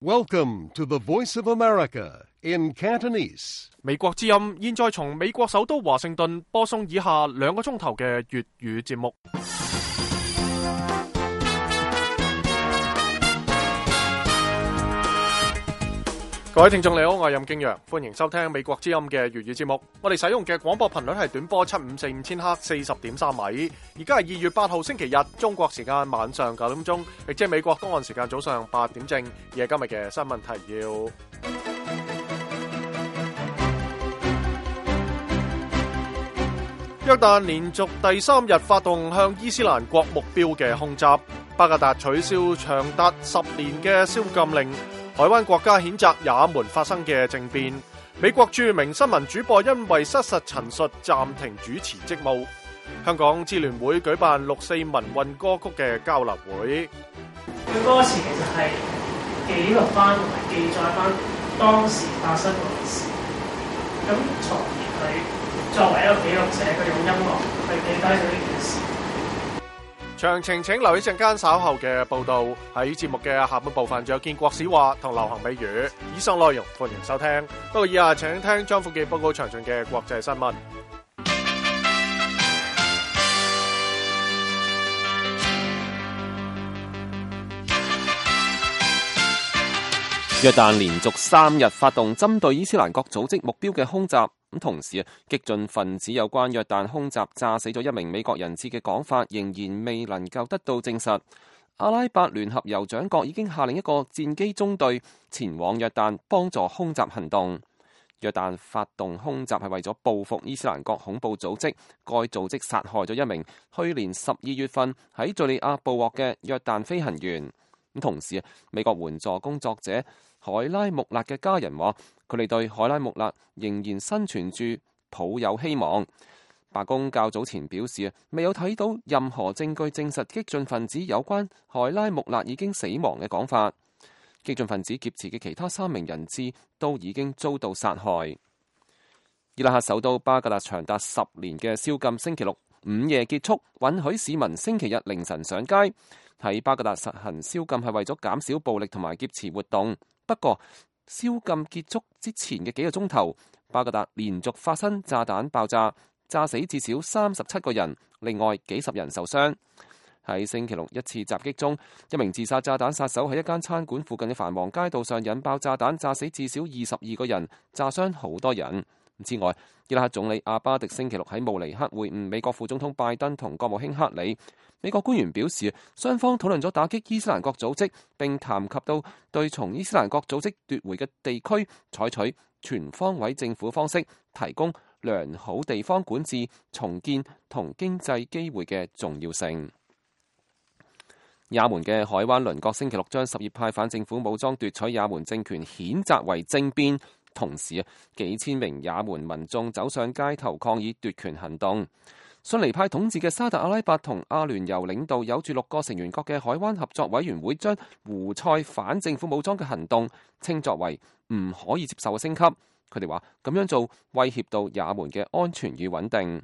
Welcome to the Voice of America in Cantonese. 美國之音現在從美國首都華盛頓播送以下2個鐘頭嘅粵語節目。各位聽眾你好，我係任敬陽，歡迎收聽美國之音嘅粵語節目。我哋使用嘅廣播頻率係短波7545千赫40.3米。而家係2月8號星期日，中國時間晚上9點鐘，亦即係美國東岸時間早上8點正。而係今日嘅新聞提要。約旦連續第3日發動向伊斯蘭國目標嘅空襲，巴格達取消長達10年嘅宵禁令。海灣國家譴責也門發生嘅政變，美國著名新聞主播因為失實陳述暫停主持職務。香港支聯會舉辦6·4民運歌曲嘅交流會。佢歌詞其實係記錄翻同埋記載翻當時發生嘅事，咁從而佢作為一個記錄者，佢用音樂去記低咗呢件事。詳情請留意陣間稍後嘅報道。喺節目嘅下半部分，仲有建國史話同流行美語。以上內容歡迎收聽。不過以下請聽張富記報告詳盡嘅國際新聞。約旦連續3日發動針對伊斯蘭國組織目標嘅空襲。同時激進分子有關約旦空襲炸死咗1名美國人質嘅講法仍然未能夠得到證實。阿拉伯聯合酋長國已經下令一個戰機中隊前往約旦幫助空襲行動。約旦發動空襲係為咗報復伊斯蘭國恐怖組織，該組織殺害咗1名去年12月份喺敘利亞捕獲嘅約旦飛行員。同時美國援助工作者海拉穆勒嘅家人話，佢哋對海拉穆勒仍然生存住抱有希望。白宮較早前表示，未有睇到任何證據證實激進分子有關海拉穆勒已經死亡嘅講法。激進分子劫持嘅其他3名人質都已經遭到殺害。伊拉克首都巴格達長達10年嘅宵禁星期六午夜結束，允許市民星期日凌晨上街。喺巴格達實行宵禁係為咗減少暴力同埋劫持活動。不過宵禁結束之前嘅幾個鐘頭，巴格達連續發生炸彈爆炸，炸死至少37個人，另外幾十人受傷。喺星期六一次襲擊中，一名自殺炸彈殺手喺一間餐館附近嘅繁忙街道上引爆炸彈，炸死至少22個人，炸傷好多人。之外，伊拉克總理阿巴迪星期六喺慕尼黑會晤美國副總統拜登同國務卿克里。美國官員表示，雙方討論咗打擊伊斯蘭國組織，並談及到對從伊斯蘭國組織奪回嘅地區採取全方位政府方式，提供良好地方管治、重建同經濟機會嘅重要性。也門嘅海灣鄰國星期六將什葉派反政府武裝奪取也門政權譴責為政變，同時幾千名也門民眾走上街頭抗議奪權行動。遜尼派統治嘅沙特阿拉伯同阿聯酋領導有住6個成員國嘅海灣合作委員會將胡塞反政府武裝嘅行動稱作為唔可以接受嘅升級。佢哋話咁樣做威脅到也門嘅安全與穩定。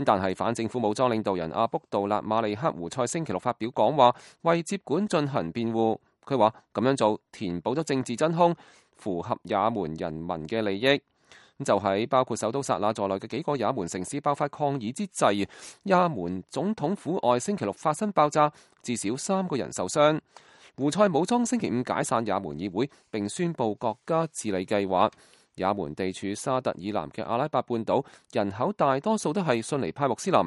但係反政府武裝領導人阿卜杜勒馬利克胡塞星期六發表講話，為接管進行辯護。佢話咁樣做填補咗政治真空，符合也門人民嘅利益。就喺包括首都薩那在內嘅幾個也門城市爆發抗議之際，也門總統府外星期六發生爆炸，至少3個人受傷。胡塞武裝星期5解散也門議會，並宣布國家治理計劃。也門地處沙特以南嘅阿拉伯半島，人口大多數都係遜尼派穆斯林。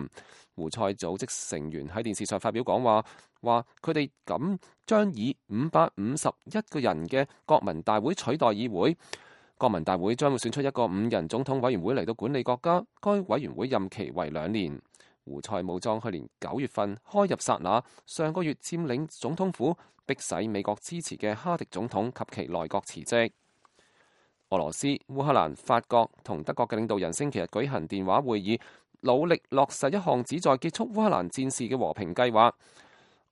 胡塞組織成員喺電視上發表講話，話佢哋咁將以551個人嘅國民大會取代議會。國民大會將會選出一個5人總統委員會嚟到管理國家，該委員會任期為2年。胡塞武裝去年9月份開入薩那，上個月佔領總統府，迫使美國支持嘅哈迪總統及其內閣辭職。俄羅斯、烏克蘭、法國同德國嘅領導人星期日舉行電話會議，努力落實一項旨在結束烏克蘭戰事嘅和平計劃。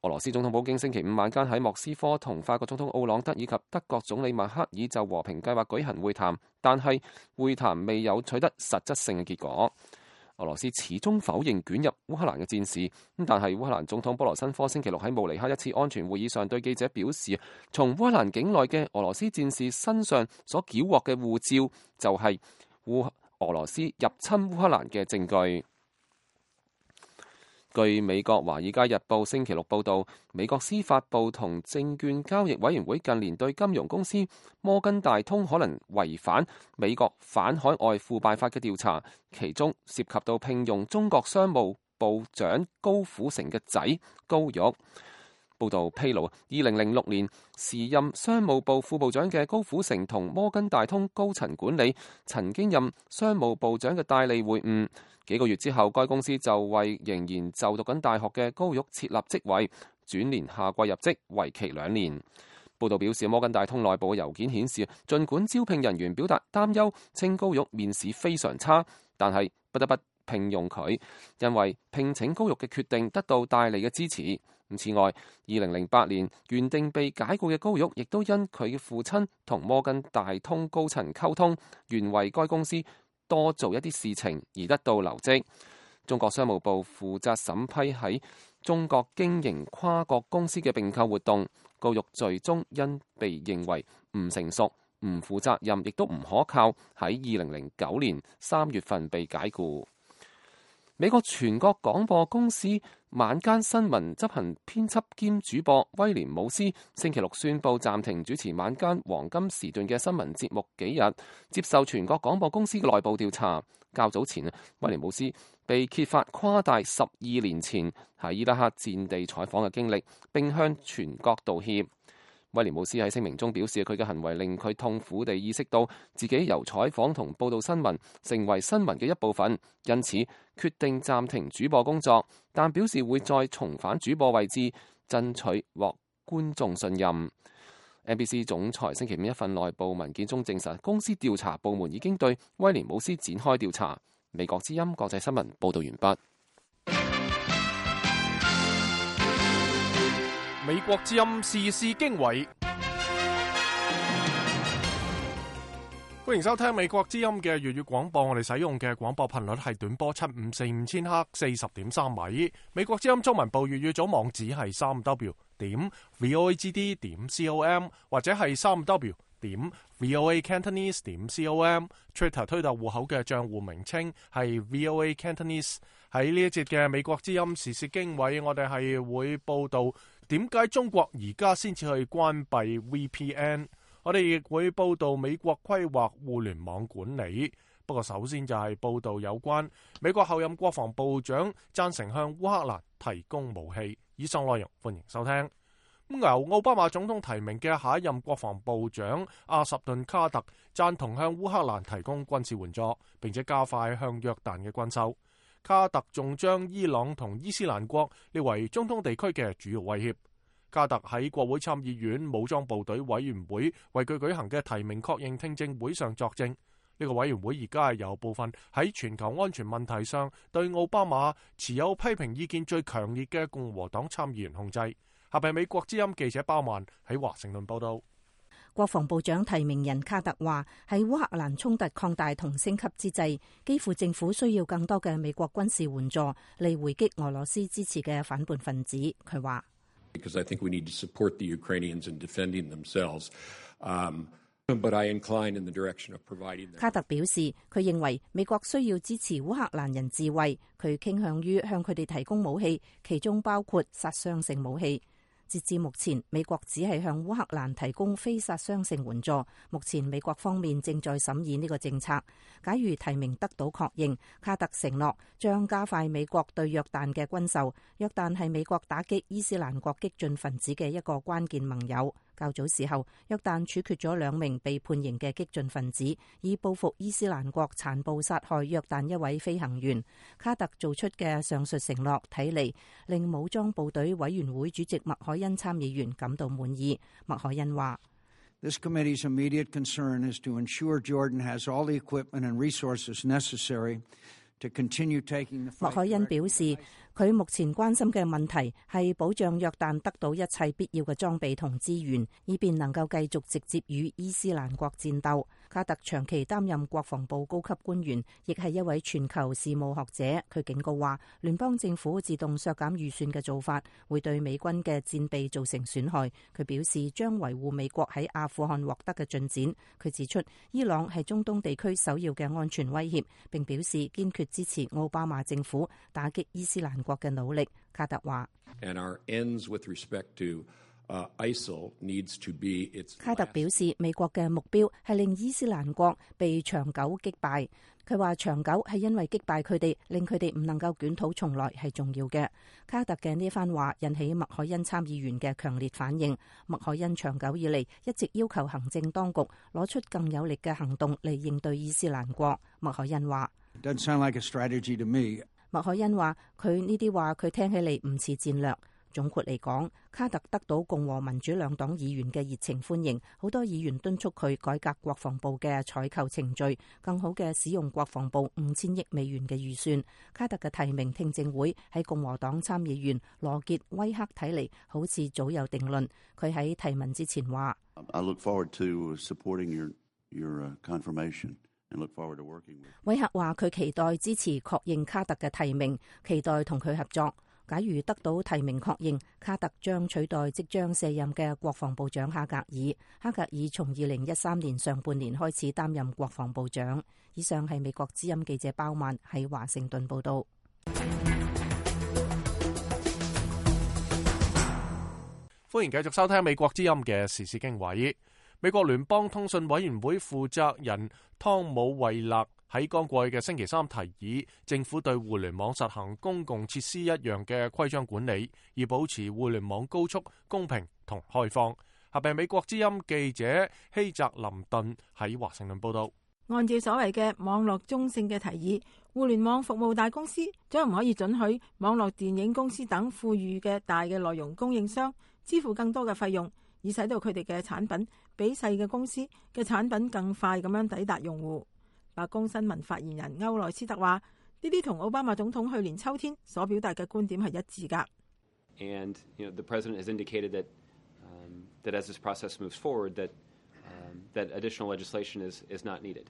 俄羅斯總統普京星期5晚間喺莫斯科同法國總統奧朗德以及德國總理默克爾就和平計劃舉行會談，但係會談未有取得實質性嘅結果。俄羅斯始終否認捲入烏克蘭嘅戰事。但係烏克蘭總統波羅申科星期六喺慕尼黑一次安全會議上對記者表示，從烏克蘭境內嘅俄羅斯戰士身上所繳獲嘅護照就係俄羅斯入侵烏克蘭嘅證據。據美國《華爾街日報》星期六報導，美國司法部同證券交易委員會近年對金融公司摩根大通可能違反美國反海外腐敗法嘅調查，其中涉及到聘用中國商務部長高虎城嘅仔高玉。報道披露，2006年時任商務部副部長嘅高虎城同摩根大通高層管理曾經任商務部長嘅戴利會晤。幾個月之後，該公司就為仍然就讀緊大學嘅高玉設立職位，轉年夏季入職，為期2年。報道表示，摩根大通內部嘅郵件顯示，儘管招聘人員表達擔憂，稱高玉面試非常差，但係不得不聘用佢，因為聘請高玉嘅決定得到戴利嘅支持。此外，2008年原定被解雇嘅高玉，亦都因佢嘅父親同摩根大通高層溝通，願為該公司多做一啲事情而得到留職。中國商務部負責審批喺中國經營跨國公司嘅併購活動，高玉最終因被認為唔成熟、唔負責任，亦都唔可靠，喺2009年3月份被解雇。美國全國廣播公司晚間新聞執行編輯兼主播威廉姆斯星期六宣布暫停主持晚間黃金時段嘅新聞節目幾日，接受全國廣播公司嘅內部調查。較早前，威廉姆斯被揭發誇大12年前喺伊拉克戰地採訪嘅經歷，並向全國道歉。威廉姆斯喺聲明中表示，佢嘅行為令佢痛苦地意識到自己由採訪同報導新聞成為新聞嘅一部分，因此決定暫停主播工作，但表示會再重返主播位置，爭取獲觀眾信任。NBC 總裁星期五一份內部文件中證實，公司調查部門已經對威廉姆斯展開調查。美國之音國際新聞報導完畢。美國之音時事經緯，歡迎收聽美國之音嘅粵語廣播。我哋使用嘅廣播頻率係短波7545千赫40.3米。美國之音中文部粵語組網址係3w.voagd.com 或者係3w.voacantonese.com。Twitter 推特戶口嘅賬戶名稱係 VOA Cantonese。喺呢一節嘅美國之音時事經緯，我哋係會報道點解中國而家先至去關閉 VPN。我哋亦會報道美國規劃互聯網管理。不過首先就係報道有關美國候任國防部長贊成向烏克蘭提供武器。以上內容歡迎收聽。由奧巴馬總統提名嘅下一任國防部長阿什頓卡特贊同向烏克蘭提供軍事援助，並且加快向約旦嘅軍售。卡特仲將伊朗同伊斯蘭國列為中東地區嘅主要威脅。卡特喺國會參議院武裝部隊委員會為佢舉行嘅提名確認聽證會上作證。呢個委員會而家係由部分喺全球安全問題上對奧巴馬持有批評意見最強烈嘅共和黨參議員控制。下邊美國之音記者包曼喺華盛頓報道。國防部長提名人卡特話，喺烏克蘭衝突擴大同升級之際，基輔政府需要更多嘅美國軍事援助嚟回擊俄羅斯支持嘅反叛分子。佢話：Because I think we need to support the Ukrainians in defending themselves. But I incline in the direction of providing them. 卡特表示，佢認為美國需要支持烏克蘭人自衛，佢傾向於向佢哋提供武器，其中包括殺傷性武器。截至目前，美國只係向烏克蘭提供非殺傷性援助。目前美國方面正在審議呢個政策。假如提名得到確認，卡特承諾將加快美國對約旦嘅軍售。約旦係美國打擊伊斯蘭國激進分子嘅一個關鍵盟友。較早時候，約旦處決咗2名被判刑嘅激進分子，以報復伊斯蘭國殘暴殺害約旦一位飛行員。卡特做出嘅上述承諾，睇嚟令武裝部隊委員會主席麥凱恩參議員感到滿意。麥凱恩話：This committee's immediate concern is to ensure Jordan has all the equipment and resources necessary。麥凱恩表示，佢目前關心嘅問題係保障約旦得到一切必要嘅裝備同資源，以便能夠繼續直接與伊斯蘭國戰鬥。卡特長期擔任國防部高級官員，亦係一位全球事務學者。佢警告話，聯邦政府自動削減預算嘅做法會對美軍嘅戰備造成損害。佢表示將維護美國喺阿富汗獲得嘅進展。佢指出，伊朗係中東地區首要嘅安全威脅，並表示堅決支持奧巴馬政府打擊伊斯蘭國嘅努力。卡特話，卡特表示，美國嘅目標係令伊斯蘭國被長久擊敗。佢話長久係因為擊敗佢哋，令佢哋唔能夠捲土重來係重要嘅。卡特嘅呢番話引起麥凱恩參議員嘅強烈反應。麥凱恩長久以嚟一直要求行政當局攞出更有力嘅行動嚟應對伊斯蘭國。麥凱恩話，Doesn't sound like a strategy to me. 麥凱恩話，佢呢啲話佢聽起嚟唔似戰略。總括嚟講，卡特得到共和民主兩黨議員嘅熱情歡迎，好多議員敦促佢改革國防部嘅採購程序，更好嘅使用國防部5000億美元嘅預算。卡特嘅提名聽證會喺共和黨參議員羅傑威克睇嚟好似早有定論。佢喺提問之前話， I look forward to supporting your confirmation and look forward to working with you. 威克話佢期待支持確認卡特嘅提名，期待同佢合作。假如得到提名確認，卡特將取代即將卸任嘅國防部長哈格爾。哈格爾從2013年上半年開始擔任國防部長。以上係美國之音記者包曼喺華盛頓報道。歡迎繼續收聽美國之音嘅時事經緯。美國聯邦通訊委員會負責人湯姆惠勒喺剛過去嘅星期三提議，政府對互聯網實行公共設施一樣嘅規章管理，以保持互聯網高速、公平同開放。合併美國之音記者希澤林頓喺華盛頓報道。按照所謂嘅網絡中性嘅提議，互聯網服務大公司將唔可以准許網絡電影公司等富裕嘅大嘅內容供應商支付更多嘅費用，以使到佢哋嘅產品比細嘅公司嘅產品更快咁樣抵達用戶。白宮新聞發言人歐萊斯特話：呢啲同奧巴馬總統去年秋天所表達嘅觀點係一致㗎。And the president has indicated that that as this process moves forward, that additional legislation is not needed.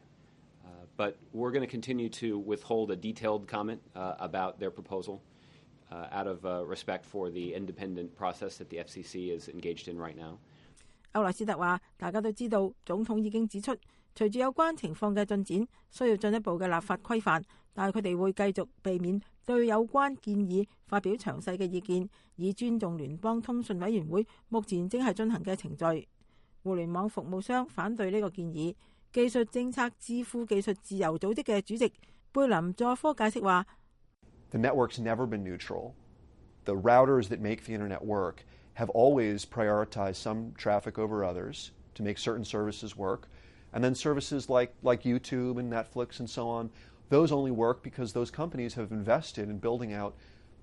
But we're going to continue to withhold a detailed comment about their proposal out of respect for the independent process that the FCC is engaged in right now. 歐萊斯特話：大家都知道，總統已經指出，隨住有關情況嘅進展，需要進一步嘅立法規範，但係佢哋會繼續避免對有關建議發表詳細嘅意見，以尊重聯邦通訊委員會目前正係進行嘅程序。互聯網服務商反對呢個建議。技術政策智庫技術自由組織嘅主席貝林佐科解釋話：The network's never been neutral. The routers that make the internet work have always prioritized some traffic over others to make certain services work. And then services like YouTube and Netflix and so on, those only work because those companies have invested in building out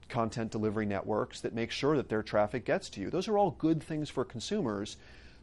content delivery networks that make sure that their traffic gets to you. Those are all good things for consumers.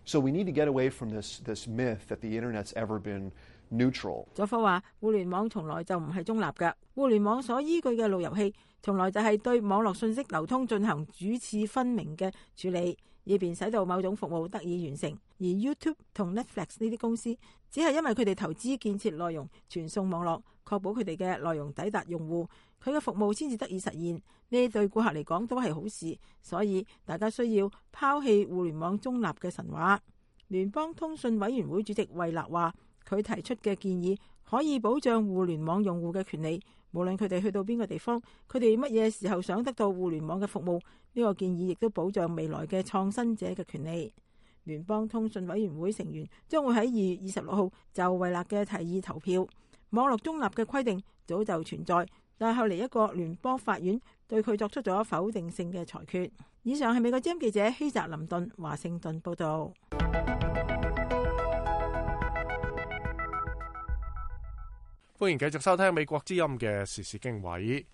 So we need to get away from this myth that the internet's ever been neutral. 佐科話：互聯網從來就唔係中立嘅，互聯網所依據嘅路由器，從來就係對網絡信息流通進行主次分明嘅處理，以便使到某種服務得以完成。而 YouTube 同 Netflix 呢啲公司，只係因為佢哋投資建設內容傳送網絡，確保佢哋嘅內容抵達用戶，佢嘅服務先至得以實現。呢對顧客嚟講都係好事，所以大家需要拋棄互聯網中立嘅神話。聯邦通訊委員會主席惠勒話：佢提出嘅建議可以保障互聯網用戶嘅權利，無論佢哋去到邊個地方，佢哋乜嘢時候想得到互聯網嘅服務。呢個建議亦都保障未來嘅創新者嘅權利。聯邦通訊委員會成員將會喺2月26號就惠勒嘅提議投票。網絡中立嘅規定早就存在，但係後嚟一個聯邦法院對佢作出咗否定性嘅裁決。以上係美國之音記者希澤林頓華盛頓報道。歡迎繼續收聽美國之音嘅時事經緯。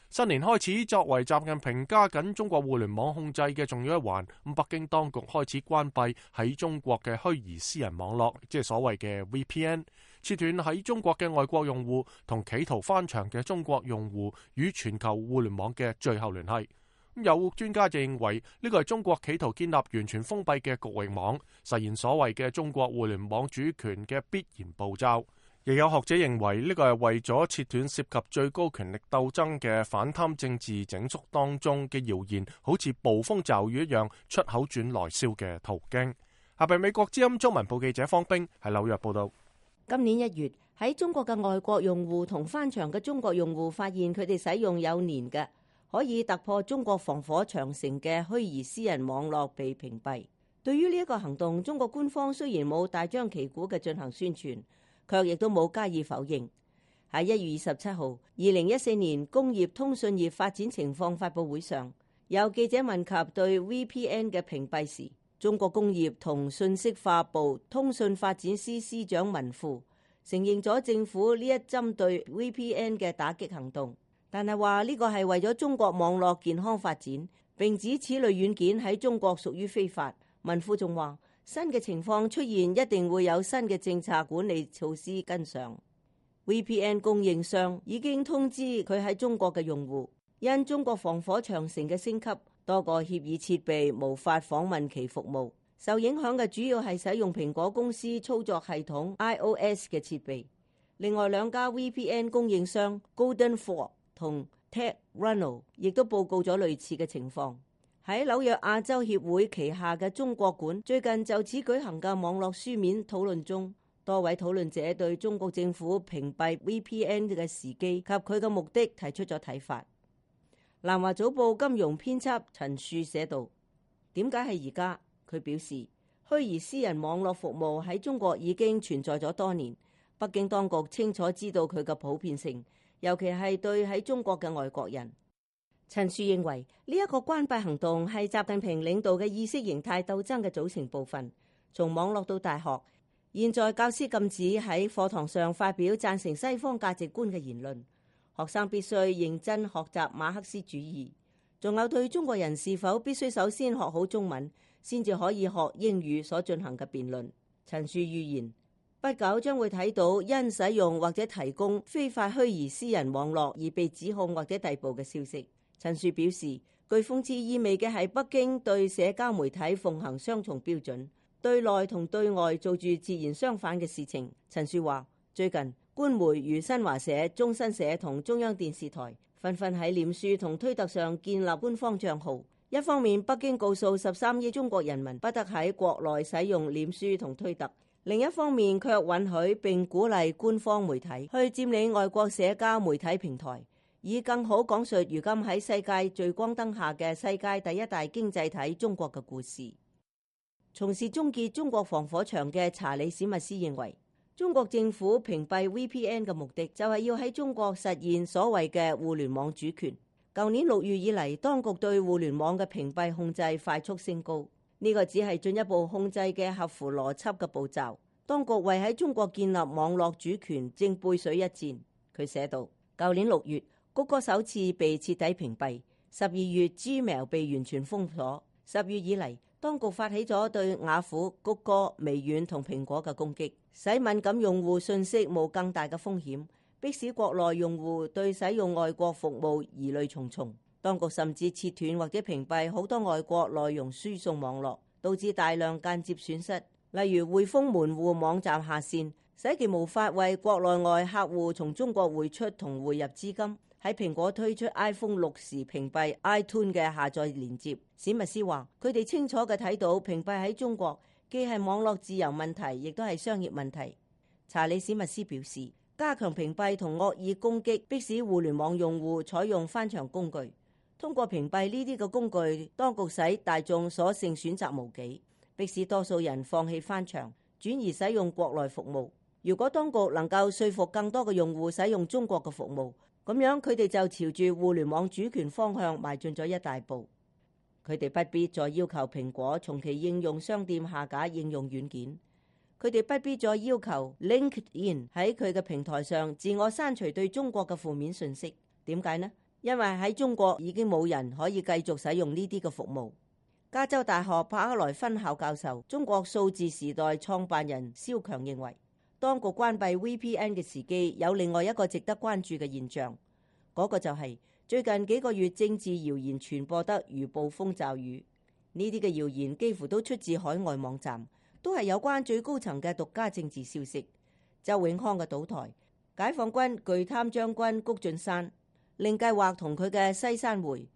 新年開始，作為習近平加緊中國互聯網控制嘅重要一環，北京當局開始關閉喺中國嘅虛擬私人網絡，即係所謂嘅 VPN。切斷喺中國嘅外國用戶同企圖翻牆嘅中國用戶與全球互聯網嘅最後聯繫。有專家就認為呢個係中國企圖建立完全封閉嘅局域網，實現所謂嘅中國互聯網主權嘅必然步驟。亦有學者認為呢個係為咗切斷涉及最高權力鬥爭嘅反貪政治整肅當中嘅謠言，好似捕風驟雨一樣出口轉內銷嘅途徑。下邊美國之音中文部記者方冰喺紐約報道。今年1月喺中國嘅外國用戶同翻牆嘅中國用戶發現佢哋使用有年嘅可以突破中國防火長城嘅虛擬私人網絡被屏蔽。對於呢一個行動，中國官方雖然冇大張旗鼓嘅進行宣傳，卻亦都冇加以否認。喺1月27號2014年工業通訊業發展情況發佈會上，有記者問及對 VPN 嘅屏蔽時，中國工業同信息化部通訊發展司司長文富承認咗政府呢一針對 VPN 嘅打擊行動，但係話呢個係為咗中國網絡健康發展，並指此類軟件喺中國屬於非法。文富仲話，新嘅情況出現一定會有新嘅政策管理措施跟上。VPN 供應商已經通知佢喺中國嘅用戶，因中國防火長城嘅升級，多個協議設備無法訪問其服務。受影響嘅主要係使用蘋果公司操作系統 iOS 嘅設備。另外2家 VPN 供應商 Golden Ford 同 TechRuno 亦都報告咗類似嘅情況。喺紐約亞洲協會旗下嘅中國館最近就此舉行嘅網絡書面討論中，多位討論者對中國政府屏蔽 VPN 嘅時機及佢嘅目的提出咗睇法。南華早報金融編輯陳樹寫道：點解係而家？佢表示，虛擬私人網絡服務喺中國已經存在咗多年，北京當局清楚知道佢嘅普遍性，尤其係對喺中國嘅外國人。陳樹認為呢一個關閉行動係習近平領導嘅意識形態鬥爭嘅組成部分。從網絡到大學，現在教師禁止喺課堂上發表贊成西方價值觀嘅言論，學生必須認真學習馬克思主義，仲有對中國人是否必須首先學好中文先至可以學英語所進行嘅辯論。陳樹預言，不久將會睇到因使用或者提供非法虛擬私人網絡而被指控或者逮捕嘅消息。陳樹表示，具諷刺意味嘅係北京對社交媒體奉行雙重標準，對內同對外做住截然相反嘅事情。陳樹話，最近官媒如新華社、中新社同中央電視台紛紛喺臉書同推特上建立官方賬號。一方面，北京告訴13億中國人民不得喺國內使用臉書同推特，另一方面卻允許並鼓勵官方媒體去佔領外國社交媒體平台，以更好講述如今喺世界聚光燈下嘅世界第一大經濟體中國嘅故事。從事終結中國防火牆嘅查理史密斯認為，中國政府屏蔽 VPN 嘅目的就係要喺中國實現所謂嘅互聯網主權。舊年6月以嚟，當局對互聯網嘅屏蔽控制快速升高，呢個只係進一步控制嘅合乎邏輯嘅步驟。當局為喺中國建立網絡主權正背水一戰。佢寫道，舊年6月，谷歌首次被徹底屏蔽，12月 Gmail 被完全封鎖。10月以嚟，當局發起咗對雅虎、谷歌、微軟同蘋果嘅攻擊，使敏感用戶信息冒更大嘅風險，迫使國內用戶對使用外國服務疑慮重重。當局甚至切斷或者屏蔽好多外國內容輸送網絡，導致大量間接損失，例如匯豐門戶網站下線，使其無法為國內外客戶從中國匯出同匯入資金。喺蘋果推出 iPhone 6時屏蔽 iTunes 嘅下載連接。史密斯話，佢哋清楚嘅睇到屏蔽喺中國既係網絡自由問題，亦都係商業問題。查理史密斯表示，加強屏蔽同惡意攻擊，迫使互聯網用戶採用翻牆工具。通過屏蔽呢啲嘅工具，當局使大眾所剩選擇無幾，迫使多數人放棄翻牆，轉而使用國內服務。如果當局能夠說服更多嘅用戶使用中國嘅服務，咁樣佢哋就朝住互聯網主權方向邁進咗一大步。佢哋不必再要求蘋果從其應用商店下架應用軟件，佢哋不必再要求 LinkedIn 喺佢嘅平台上自我刪除對中國嘅負面信息。點解呢？因為喺中國已經冇人可以繼續使用呢啲嘅服務。加州大學柏克萊分校教授、中國數字時代創辦人蕭強認為，當局關閉 VPN 嘅時機有另外一個值得關注嘅現象，嗰個就係最近幾個月政治謠言傳播得如暴風驟雨。呢啲嘅謠言幾乎都出自海外網站，都係有關最高層嘅獨家政治消息。周永康嘅倒台、解放軍巨貪將軍谷俊山、令計劃同佢嘅西山會，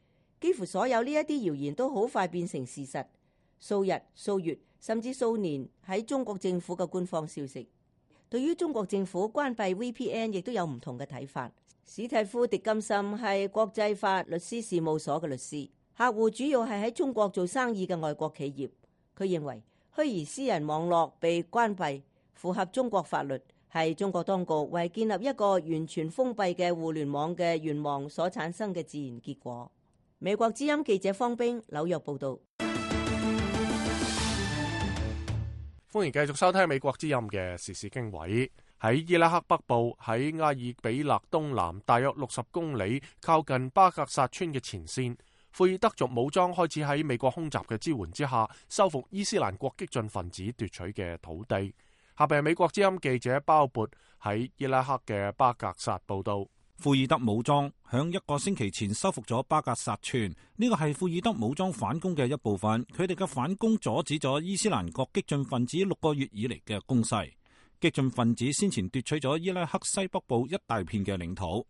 幾乎所有呢一啲謠言都好快變成事實，數日、數月甚至數年喺中國政府嘅官方消息。對於中國政府關閉 VPN 亦都有唔同嘅睇法。史蒂夫·狄金森係國際法律師事務所嘅律師，客戶主要係喺中國做生意嘅外國企業。佢認為虛擬私人網絡被關閉符合中國法律，係中國當局為建立一個完全封閉嘅互聯網嘅願望所產生嘅自然結果。美國之音記者方冰紐約報道。歡迎繼續收聽美國之音嘅時事經緯。喺伊拉克北部，喺阿爾比勒東南大約60公里，靠近巴格薩村嘅前線，庫爾德族武裝開始喺美國空襲嘅支援之下，收復伊斯蘭國激進分子奪取嘅土地。下邊係美國之音記者鮑勃喺伊拉克嘅巴格薩報道。庫爾德武裝響1個星期前收復咗巴格薩村，呢個係庫爾德武裝反攻嘅一部分。佢哋嘅反攻阻止咗伊斯蘭國激進分子6個月以嚟嘅攻勢。激進分子先前奪取咗伊拉克西北部一大片嘅領土。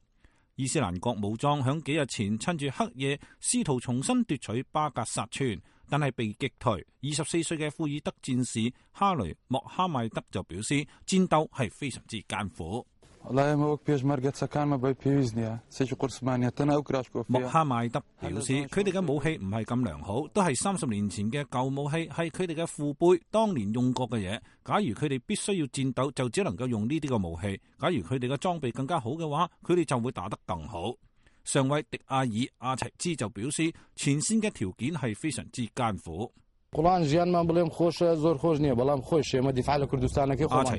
伊斯蘭國武裝響幾日前趁住黑夜試圖重新奪取巴格薩村，但係被擊退。24歲嘅庫爾德戰士哈雷莫哈邁德就表示，戰鬥係非常之艱苦。莫哈邁德表示，佢哋嘅武器唔係咁良好，都係30年前嘅舊武器，係佢哋嘅父輩當年用過嘅嘢。假如佢哋必須要戰鬥，就只能夠用呢啲嘅武器。假如佢哋嘅裝備更加好嘅話，佢哋就會打得更好。上尉迪亞爾阿齊茲就表示，前線嘅條件係非常之艱苦。阿齊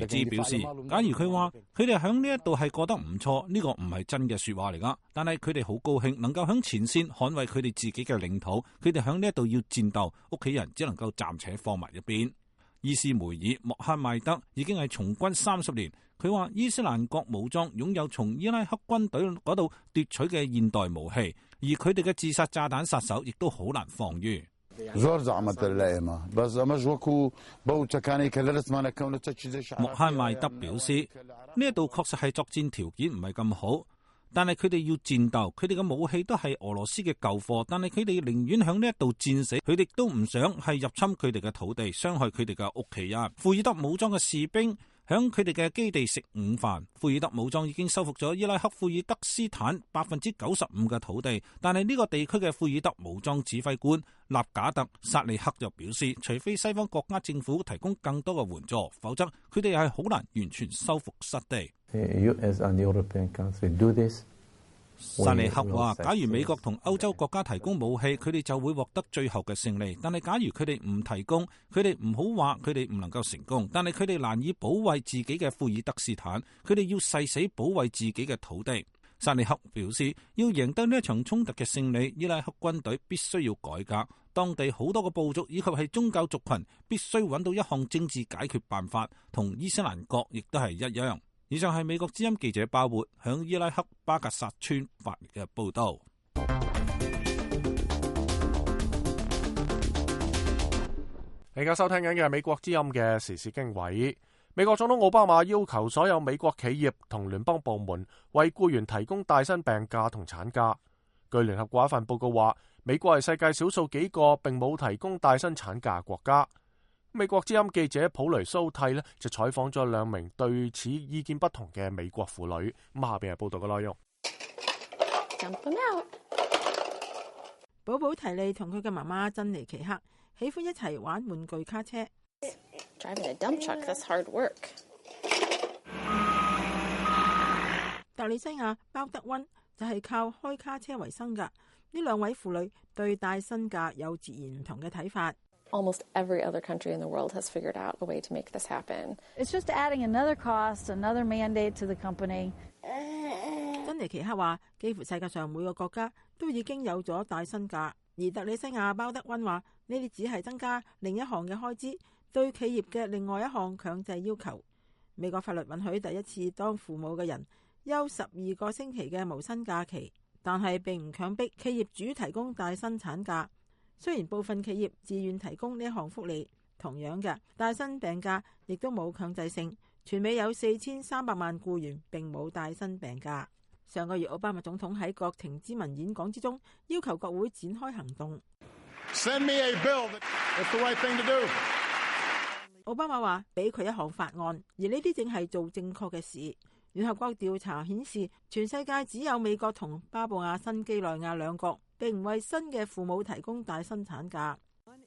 茲表示，假如佢話佢哋響呢一度係過得唔錯，呢個唔係真嘅說話嚟噶。但係佢哋好高興能夠響前線捍衛佢哋自己嘅領土。佢哋響呢一度要戰鬥，屋企人只能夠暫且放埋一邊。伊斯梅爾莫哈邁德已經係從軍30年。佢話伊斯蘭國武裝擁有從伊拉克軍隊嗰度奪取嘅現代武器，而佢哋嘅自殺炸彈殺手亦都好難防禦。莫哈邁德表示，呢一度確實係作戰條件唔係咁好，但係佢哋要戰鬥，佢哋嘅武器都係俄羅斯嘅舊貨，但係佢哋寧願響呢一度戰死，佢哋都唔想係入侵佢哋嘅土地，傷害佢哋嘅屋企人。庫爾德武裝嘅士兵響佢哋嘅基地食午飯。庫爾德武裝已經收復咗伊拉克庫爾德斯坦95%嘅土地，但係呢個地區嘅庫爾德武裝指揮官納賈特薩利克就表示，除非西方國家政府提供更多嘅援助，否則佢哋係好難完全收復失地。薩利克話，假如美國同歐洲國家提供武器，佢哋就會獲得最後嘅勝利。但係假如佢哋唔提供，佢哋唔好話佢哋唔能夠成功，但係佢哋難以保衛自己嘅庫爾德斯坦，佢哋要誓死保衛自己嘅土地。薩利克表示，要贏得呢一場衝突嘅勝利，伊拉克軍隊必須要改革，當地好多個部族以及係宗教族群必須揾到一項政治解決辦法，同伊斯蘭國亦都係一樣。以上係美國之音記者鮑活響伊拉克巴格薩村發嚟嘅報道。你而家收聽緊嘅係美國之音嘅時事經緯。美國總統奧巴馬要求所有美國企業同聯邦部門為僱員提供帶薪病假同產假。據聯合國一份報告話，美國係世界少數幾個並冇提供帶薪產假國家。美國之音記者普雷蘇蒂就採訪咗2名對此意見不同嘅美國婦女。下邊係報道嘅內容。寶寶提利同佢嘅媽媽珍妮奇克喜歡一齊玩玩具卡車。Driving a dump truck, that's hard work. 特里西亞鮑德溫就係靠開卡車為生噶。呢2位婦女對帶薪假有截然唔同嘅睇法。Almost every other country in the world has figured out a way to make this happen. It's just adding another cost, another mandate to the company. 珍妮奇克話，幾乎世界上每個國家都已經有咗帶薪假，而特里西亞鮑德溫話，呢啲只係增加另一項嘅開支，對企業嘅另外一項強制要求。美國法律允許第一次當父母嘅人休12個星期嘅無薪假期，但係並唔強迫企業主提供帶薪產假。雖然部分企業自願提供呢一項福利，同樣嘅帶薪病假亦都冇強制性。全美有4300萬僱員並冇帶薪病假。上個月奧巴馬總統喺國情咨文演講之中要求國會展開行動。Send me a bill. That's the right thing to do. 奧巴馬話俾佢一項法案，而呢啲正係做正確嘅事。聯合國調查顯示，全世界只有美國同巴布亞新幾內亞兩國並唔為新嘅父母提供帶薪產假。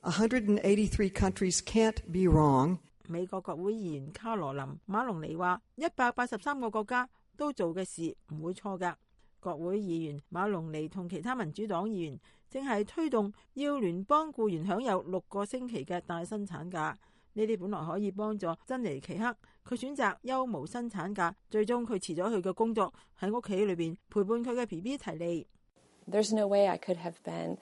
183 countries can't be wrong. 美國國會議員卡羅琳馬龍尼話：183個國家都做嘅事唔會錯㗎。國會議員馬龍尼同其他民主黨議員正係推動要聯邦僱員享有6個星期嘅帶薪產假。呢啲本來可以幫助珍妮奇克，佢選擇休無薪產假，最終佢辭咗佢嘅工作，喺屋企裏邊陪伴佢嘅 BB 提利。There's no way I could have been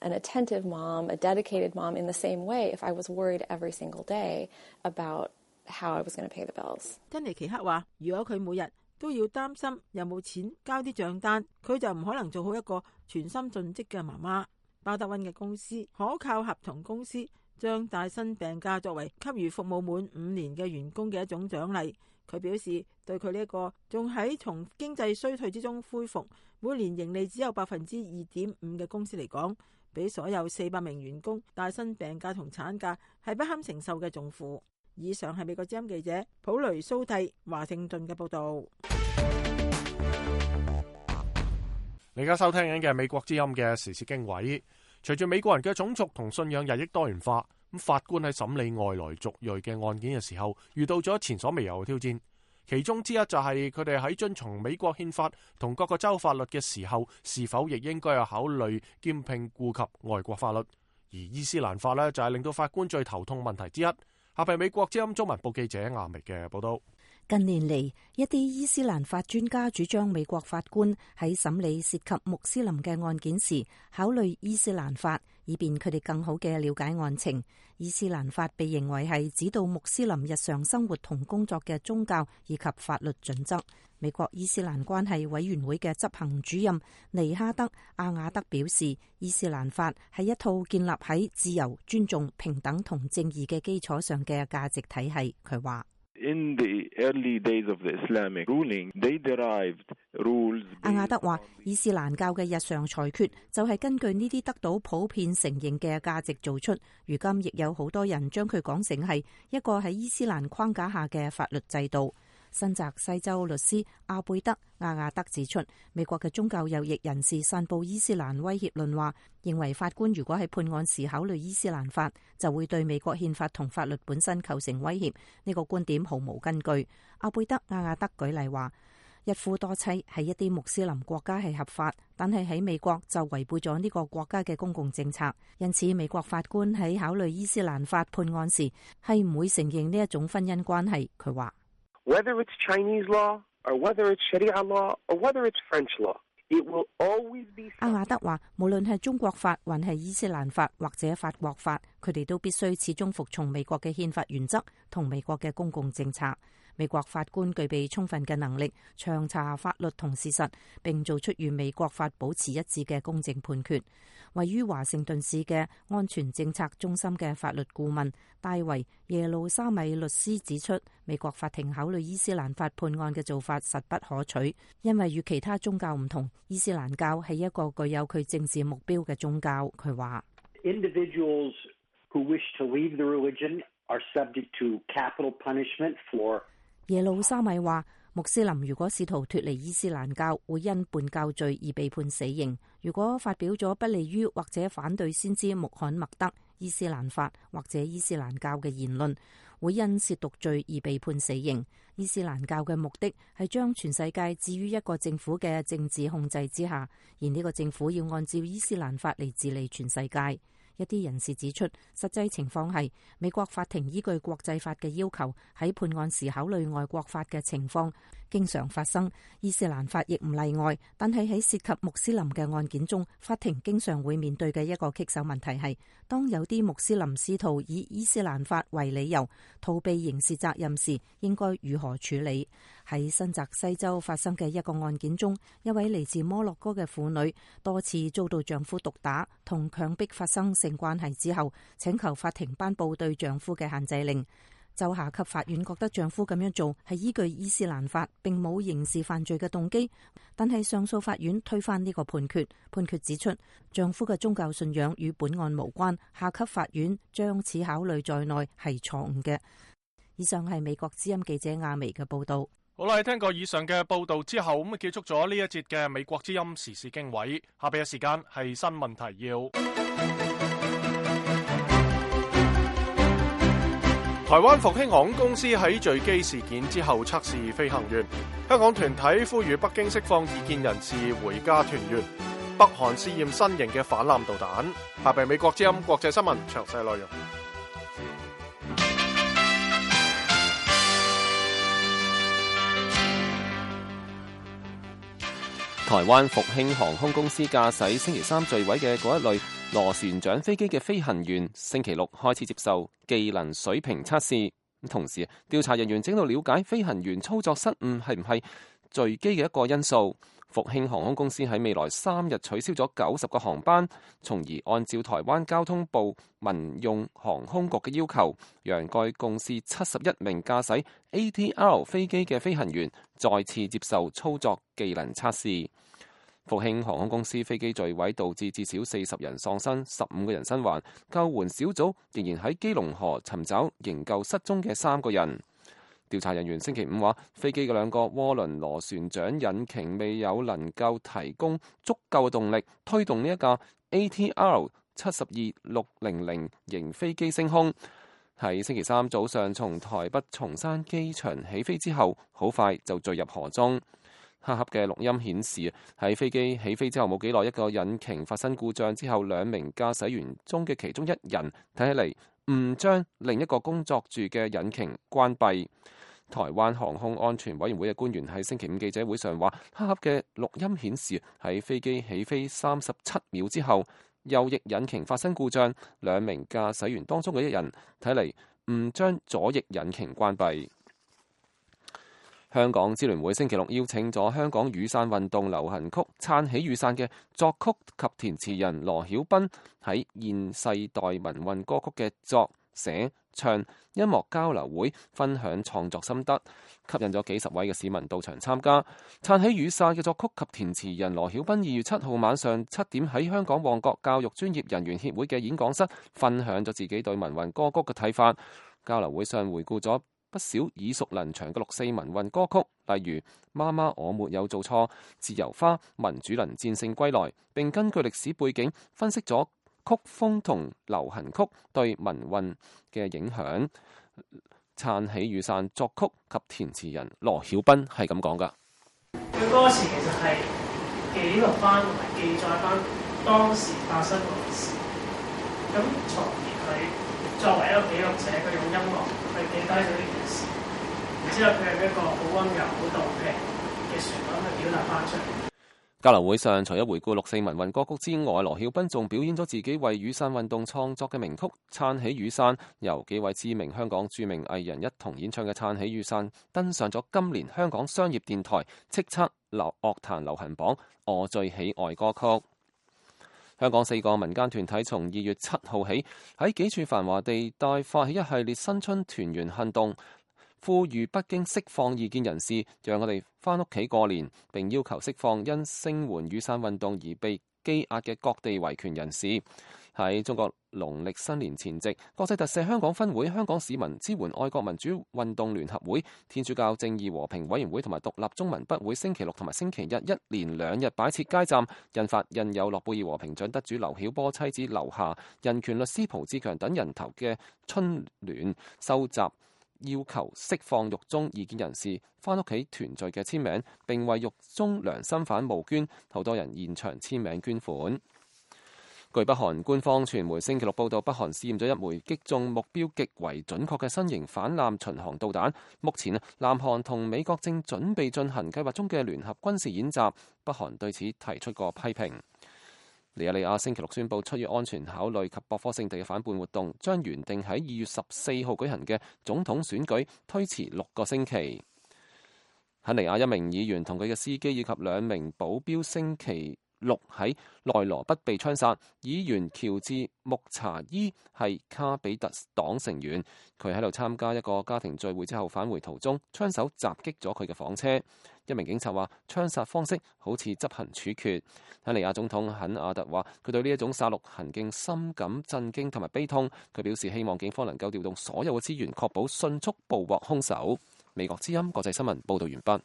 an attentive mom, a dedicated mom in the same way if I was worried every single day about how I was going to pay the bills. 珍妮奇克話：如果佢每日都要擔心有冇錢交啲賬單，佢就唔可能做好一個全心盡職嘅媽媽。巴德溫嘅公司可靠合同公司將帶薪病假作為給予服務滿5年嘅員工嘅一種獎勵。佢表示，對佢呢一個仲喺從經濟衰退之中恢復，每年盈利只有2.5%嘅公司嚟講，俾所有400名員工帶薪病假同產假係不堪承受嘅重負。以上係美國之音記者普雷蘇蒂華盛頓嘅報導。你而家收聽緊嘅美國之音嘅時事經緯。隨住美國人嘅種族同信仰日益多元化，咁法官喺審理外來族裔嘅案件嘅時候，遇到咗前所未有嘅挑戰。其中之一就係佢哋喺遵從美國憲法同各個州法律嘅時候，是否亦應該有考慮兼併顧及外國法律。而伊斯蘭法呢，就係令到法官最頭痛問題之一。下邊美國之音中文部記者亞明嘅報道。近年嚟，一啲伊斯蘭法專家主張美國法官喺審理涉及穆斯林嘅案件時，考慮伊斯蘭法，以便佢哋更好嘅了解案情。伊斯蘭法被認為係指導穆斯林日常生活同工作嘅宗教以及法律準則。美國伊斯蘭關係委員會嘅執行主任尼哈德·阿瓦德表示，伊斯蘭法係一套建立喺自由、尊重、平等同正義嘅基礎上嘅價值體系。佢話：In the early days of the Islamic ruling, they derived rules. 阿瓦德話：伊斯蘭教嘅日常裁決就係根據呢啲得到普遍承認嘅價值做出。如今亦有好多人將佢講成係一個喺伊斯蘭框架下嘅法律制度。新澤西州律師阿貝德·阿亞德指出，美國嘅宗教右翼人士散布伊斯蘭威脅論話，認為法官如果喺判案時考慮伊斯蘭法，就會對美國憲法同法律本身構成威脅。呢個觀點毫無根據。阿貝德·阿亞德舉例話，一夫多妻喺一啲穆斯林國家係合法，但係喺美國就違背咗呢個國家嘅公共政策。因此，美國法官喺考慮伊斯蘭法判案時係唔會承認呢一種婚姻關係。佢話：Whether it's Chinese law, or whether it's Sharia law, or whether it's French law, it will always be. 阿瓦德話，無論係中國法，還係伊斯蘭法或者法國法，佢哋都必須始終服從美國嘅憲法原則同美國嘅公共政策。美國法官具備充分嘅能力，詳查法律同事實，並做出與美國法保持一致嘅公正判決。位於華盛頓市嘅安全政策中心嘅法律顧問戴維耶路沙米律師指出，美國法庭考慮伊斯蘭法判案嘅做法實不可取，因為與其他宗教唔同，伊斯蘭教係一個具有佢政治目標嘅宗教。佢話：Individuals who wish to leave the religion are subject to capital punishment for。耶路沙米話，穆斯林如果試圖脫離伊斯蘭教，會因叛教罪而被判死刑。如果發表咗不利於或者反對先知穆罕默德、伊斯蘭法或者伊斯蘭教嘅言論，會因褻瀆罪而被判死刑。伊斯蘭教嘅目的係將全世界置於一個政府嘅政治控制之下，而呢個政府要按照伊斯蘭法嚟治理全世界。一啲人士指出，實際情況係美國法庭依據國際法嘅要求，喺判案時考慮外國法嘅情況，經常發生，伊斯蘭法亦唔例外。但係喺涉及穆斯林嘅案件中，法庭經常會面對嘅一個棘手問題係，當有啲穆斯林試圖以伊斯蘭法為理由逃避刑事責任時，應該如何處理？喺新澤西州發生嘅一個案件中，一位嚟自摩洛哥嘅婦女多次遭到丈夫毒打同強迫發生性關係之後，請求法庭頒布對丈夫嘅限制令。州下級法院覺得丈夫咁樣做係依據伊斯蘭法，並冇刑事犯罪嘅動機，但係上訴法院推翻呢個判決。判決指出，丈夫嘅宗教信仰與本案無關，下級法院將此考慮在內係錯誤嘅。以上係美國之音記者亞薇嘅報道。好啦，喺聽過以上嘅報道之後，咁結束咗呢一節嘅美國之音時事經緯。下邊嘅時間係新聞提要。台灣復興航空公司喺墜機事件之後測試飛行員，香港團體呼籲北京釋放異見人士回家團圓。北韓試驗新型嘅反艦導彈。下邊美國之音國際新聞詳細內容。台灣復興航空公司駕駛星期三墜毀嘅嗰一類螺旋槳飛機嘅飛行員，星期六開始接受技能水平測試。同時，調查人員正喺度了解飛行員操作失誤係唔係墜機嘅一個因素。復興航空公司喺未來3日取消咗90個航班，從而按照台灣交通部民用航空局嘅要求，讓該公司71名駕駛 ATR 飛機嘅飛行員再次接受操作技能測試。復興航空公司飛機墜毀導致至少40人喪生，15個人生還。救援小組仍然喺基隆河尋找營救失蹤嘅3個人。調查人員星期五話，飛機嘅2個渦輪螺旋槳引擎未有能夠提供足夠嘅動力推動呢一架 ATR 72600型飛機升空。喺星期三早上從台北松山機場起飛之後，好快就墜入河中。黑盒嘅錄音顯示，喺飛機起飛之後冇幾耐，一個引擎發生故障之後，2名駕駛員中嘅其中1人睇起嚟誤將另一個工作住嘅引擎關閉。台灣航空安全委員會嘅官員喺星期五記者會上話，黑盒嘅錄音顯示喺飛機起飛37秒之後，右翼引擎發生故障，2名駕駛員當中嘅1人睇嚟誤將左翼引擎關閉。香港支聯會星期六邀請咗香港雨傘運動流行曲《撐起雨傘》嘅作曲及填詞人羅曉彬喺現世代民運歌曲嘅作寫唱音樂交流會分享創作心得，吸引咗幾十位嘅市民到場參加。撐起雨傘嘅作曲及填詞人羅曉彬2月7號晚上7點喺香港旺角教育專業人員協會嘅演講室分享咗自己對民運歌曲嘅睇法。交流會上回顧咗不少耳熟能詳嘅6.4民運歌曲，例如媽媽我沒有做錯、自由花、民主能戰勝歸來，並根據歷史背景分析咗曲風同流行曲對民運嘅影響。撐起雨傘作曲及填詞人羅曉彬係咁講㗎。佢歌詞其實係記錄翻同埋記載翻當時發生過嘅事，咁從而佢作為一個記錄者，佢用音樂去記低咗呢件事，然之後佢用一個好溫柔、好動嘅旋律去表達翻出嚟。交流會上，除咗回顧6.4民運歌曲之外，羅曉彬仲表演咗自己為雨傘運動創作嘅名曲《撐起雨傘》，由幾位知名香港著名藝人一同演唱嘅《撐起雨傘》登上咗今年香港商業電台叱咤樂壇流行榜我最喜愛歌曲。香港4個民間團體從2月7號起喺幾處繁華地帶發起一系列新春團圓行動，呼籲北京釋放異見人士，讓我哋返屋企過年，並要求釋放因聲援雨傘運動而被羈押嘅各地維權人士。喺中國農曆新年前夕，國際特赦香港分會、香港市民支援愛國民主運動聯合會、天主教正義和平委員會同埋獨立中文筆會星期六同埋星期日一連2日擺設街站，印發印有諾貝爾和平獎得主劉曉波妻子劉霞、人權律師蒲志強等人頭嘅春聯，收集要求釋放獄中異見人士返屋企團聚嘅簽名，並為獄中良心犯募捐，好多人現場簽名捐款。據北韓官方傳媒星期六報道，北韓試驗咗一枚擊中目標極為準確嘅新型反艦巡航導彈。目前南韓同美國正準備進行計劃中嘅聯合軍事演習，北韓對此提出過批評。尼日利亞星期六宣布，出於安全考慮及博科聖地嘅反叛活動，將原定喺2月14號舉行嘅總統選舉推遲6個星期。肯尼亞一名議員同佢嘅司機以及2名保鏢星期6喺內羅畢被槍殺。議員喬治穆查伊係卡比特黨成員，佢喺度參加一個家庭聚會之後返回途中，槍手襲擊咗佢嘅房車。一名警察話，槍殺方式好似執行處決。肯尼亞總統肯亞特話，佢對呢一種殺戮行徑深感震驚同埋悲痛。佢表示希望警方能夠調動所有嘅資源，確保迅速捕獲兇手。美國之音國際新聞報道完畢。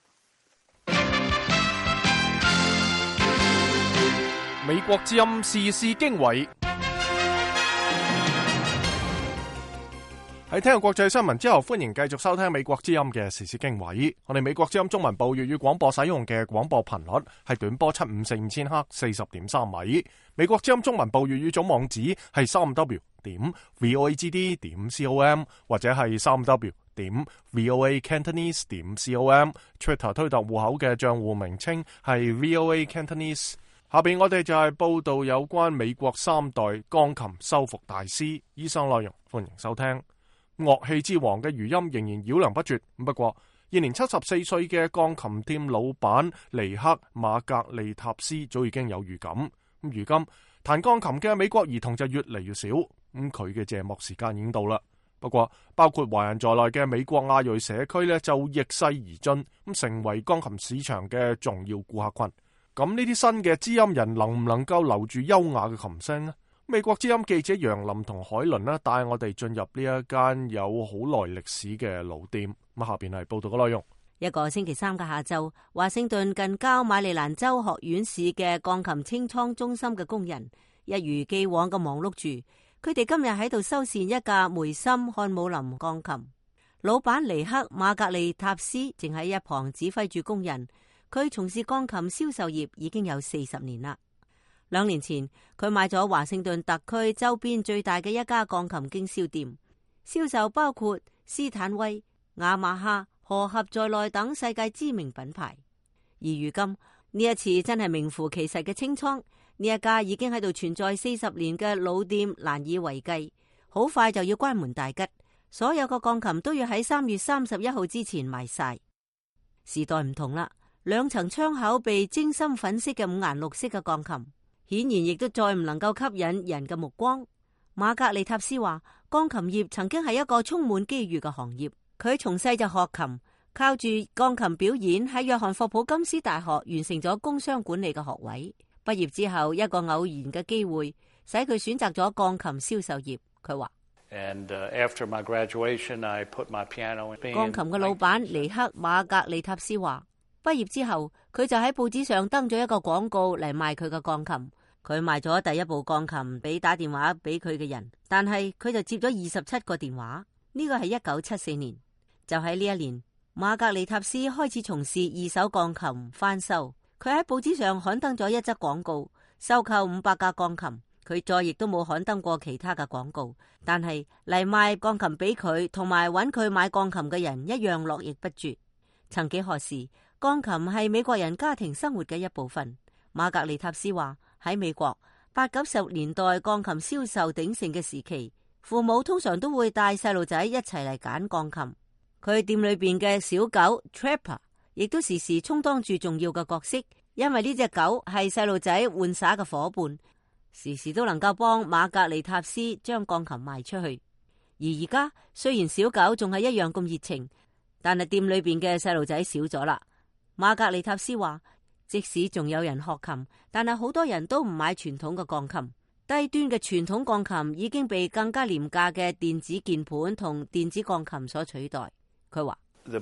美國之音時事經緯。喺聽過國際新聞之後，歡迎繼續收聽美國之音嘅時事經緯。我哋美國之音中文部粵語廣播使用嘅廣播頻率係短波7545赫40.3米。美國之音中文部粵語總網址係3w.voagd.com 或者係3w.voacantonese.com。Twitter 推特戶口嘅賬戶名稱係 VOA Cantonese。下邊我哋就係報道有關美國3代鋼琴修復大師。以上內容歡迎收聽。樂器之王嘅餘音仍然繞梁不絕，不過現年74歲嘅鋼琴店老闆尼克馬格利塔斯早已經有預感。如今彈鋼琴嘅美國兒童就越嚟越少，佢嘅謝幕時間已經到啦。不過包括華人在內嘅美國亞裔社區呢，就逆勢而進，成為鋼琴市場嘅重要顧客群。咁呢啲新嘅知音人能唔能夠留住優雅嘅琴聲呢？美國之音記者楊林同海倫呢，帶我哋進入呢一間有好耐歷史嘅老店。咁下邊係報道嘅內容。一個星期三嘅下晝，華盛頓近郊馬里蘭州學院市嘅鋼琴清倉中心嘅工人一如既往嘅忙碌住，佢哋今日喺度修繕一架梅森漢姆林鋼琴。老闆尼克馬格利塔斯正喺一旁指揮住工人。佢從事鋼琴銷售業已經有40年啦。2年前，佢買咗華盛頓特區周邊最大嘅一家鋼琴經銷店，銷售包括斯坦威、雅馬哈、荷合在內等世界知名品牌。而如今呢一次真係名副其實嘅清倉，呢一家已經喺度存在40年嘅老店難以為繼，好快就要關門大吉，所有嘅鋼琴都要喺3月31號之前賣晒。時代唔同啦。2層窗口被精心粉飾嘅5顏6色嘅鋼琴，顯然亦都再唔能夠吸引人嘅目光。馬格利塔斯話，鋼琴業曾經係一個充滿機遇嘅行業。佢從細就學琴，靠住鋼琴表演喺約翰霍普金斯大學完成咗工商管理嘅學位。畢業之後，一個偶然嘅機會使佢選擇咗鋼琴銷售業。佢話鋼琴嘅老闆尼克馬格利塔斯話，畢業之後，佢就喺報紙上登咗一個廣告嚟賣佢嘅鋼琴。佢賣咗第一部鋼琴俾打電話俾佢嘅人，但係佢就接咗27個電話。呢個係1974年。就喺呢一年，馬格利塔斯開始從事二手鋼琴翻修。佢喺報紙上刊登咗一則廣告，收購500架鋼琴。佢再亦都冇刊登過其他嘅廣告，但係嚟賣鋼琴俾佢同埋揾佢買鋼琴嘅人一樣絡繹不絕。曾幾何時，鋼琴係美國人家庭生活嘅一部分。馬格利塔斯話，喺美國80、90年代鋼琴銷售鼎盛嘅時期，父母通常都會帶細路仔一齊嚟揀鋼琴。佢店裏邊嘅小狗 Trapper 亦都時時充當住重要嘅角色，因為呢隻狗係細路仔玩耍嘅伙伴，時時都能夠幫馬格利塔斯將鋼琴賣出去。而家雖然小狗仲係一樣咁熱情，但係店裏邊嘅細路仔少咗啦。馬格利塔斯話，即使仲有人學琴，但係好多人都唔買傳統嘅鋼琴。低端嘅傳統鋼琴已經被更加廉價嘅電子鍵盤同電子鋼琴所取代。佢話馬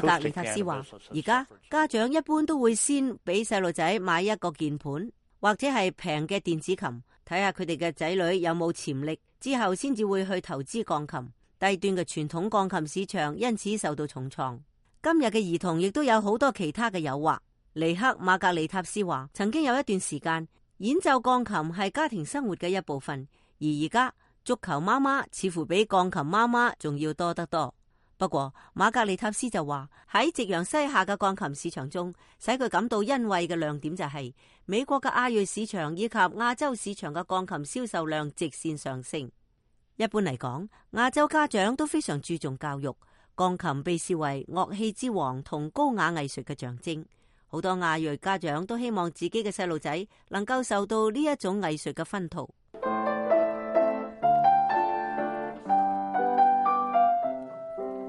格利塔斯話，而家家長一般都會先俾細路仔買一個鍵盤或者係平嘅電子琴，睇下佢哋嘅仔女有冇潛力，之後先至會去投資鋼琴。低端嘅傳統鋼琴市場因此受到重創。今日嘅兒童亦都有好多其他嘅誘惑，尼克馬格利塔斯話，曾經有一段時間演奏鋼琴係家庭生活嘅一部分，而家足球媽媽似乎比鋼琴媽媽仲要多得多。不過馬格利塔斯就話，喺夕陽西下嘅鋼琴市場中，使佢感到欣慰嘅亮點就係美國嘅亞裔市場以及亞洲市場嘅鋼琴銷售量直線上升。一般嚟講，亞洲家長都非常注重教育，鋼琴被視為樂器之王同高雅藝術嘅象徵。好多亞裔家長都希望自己嘅細路仔能夠受到呢一種藝術嘅熏陶。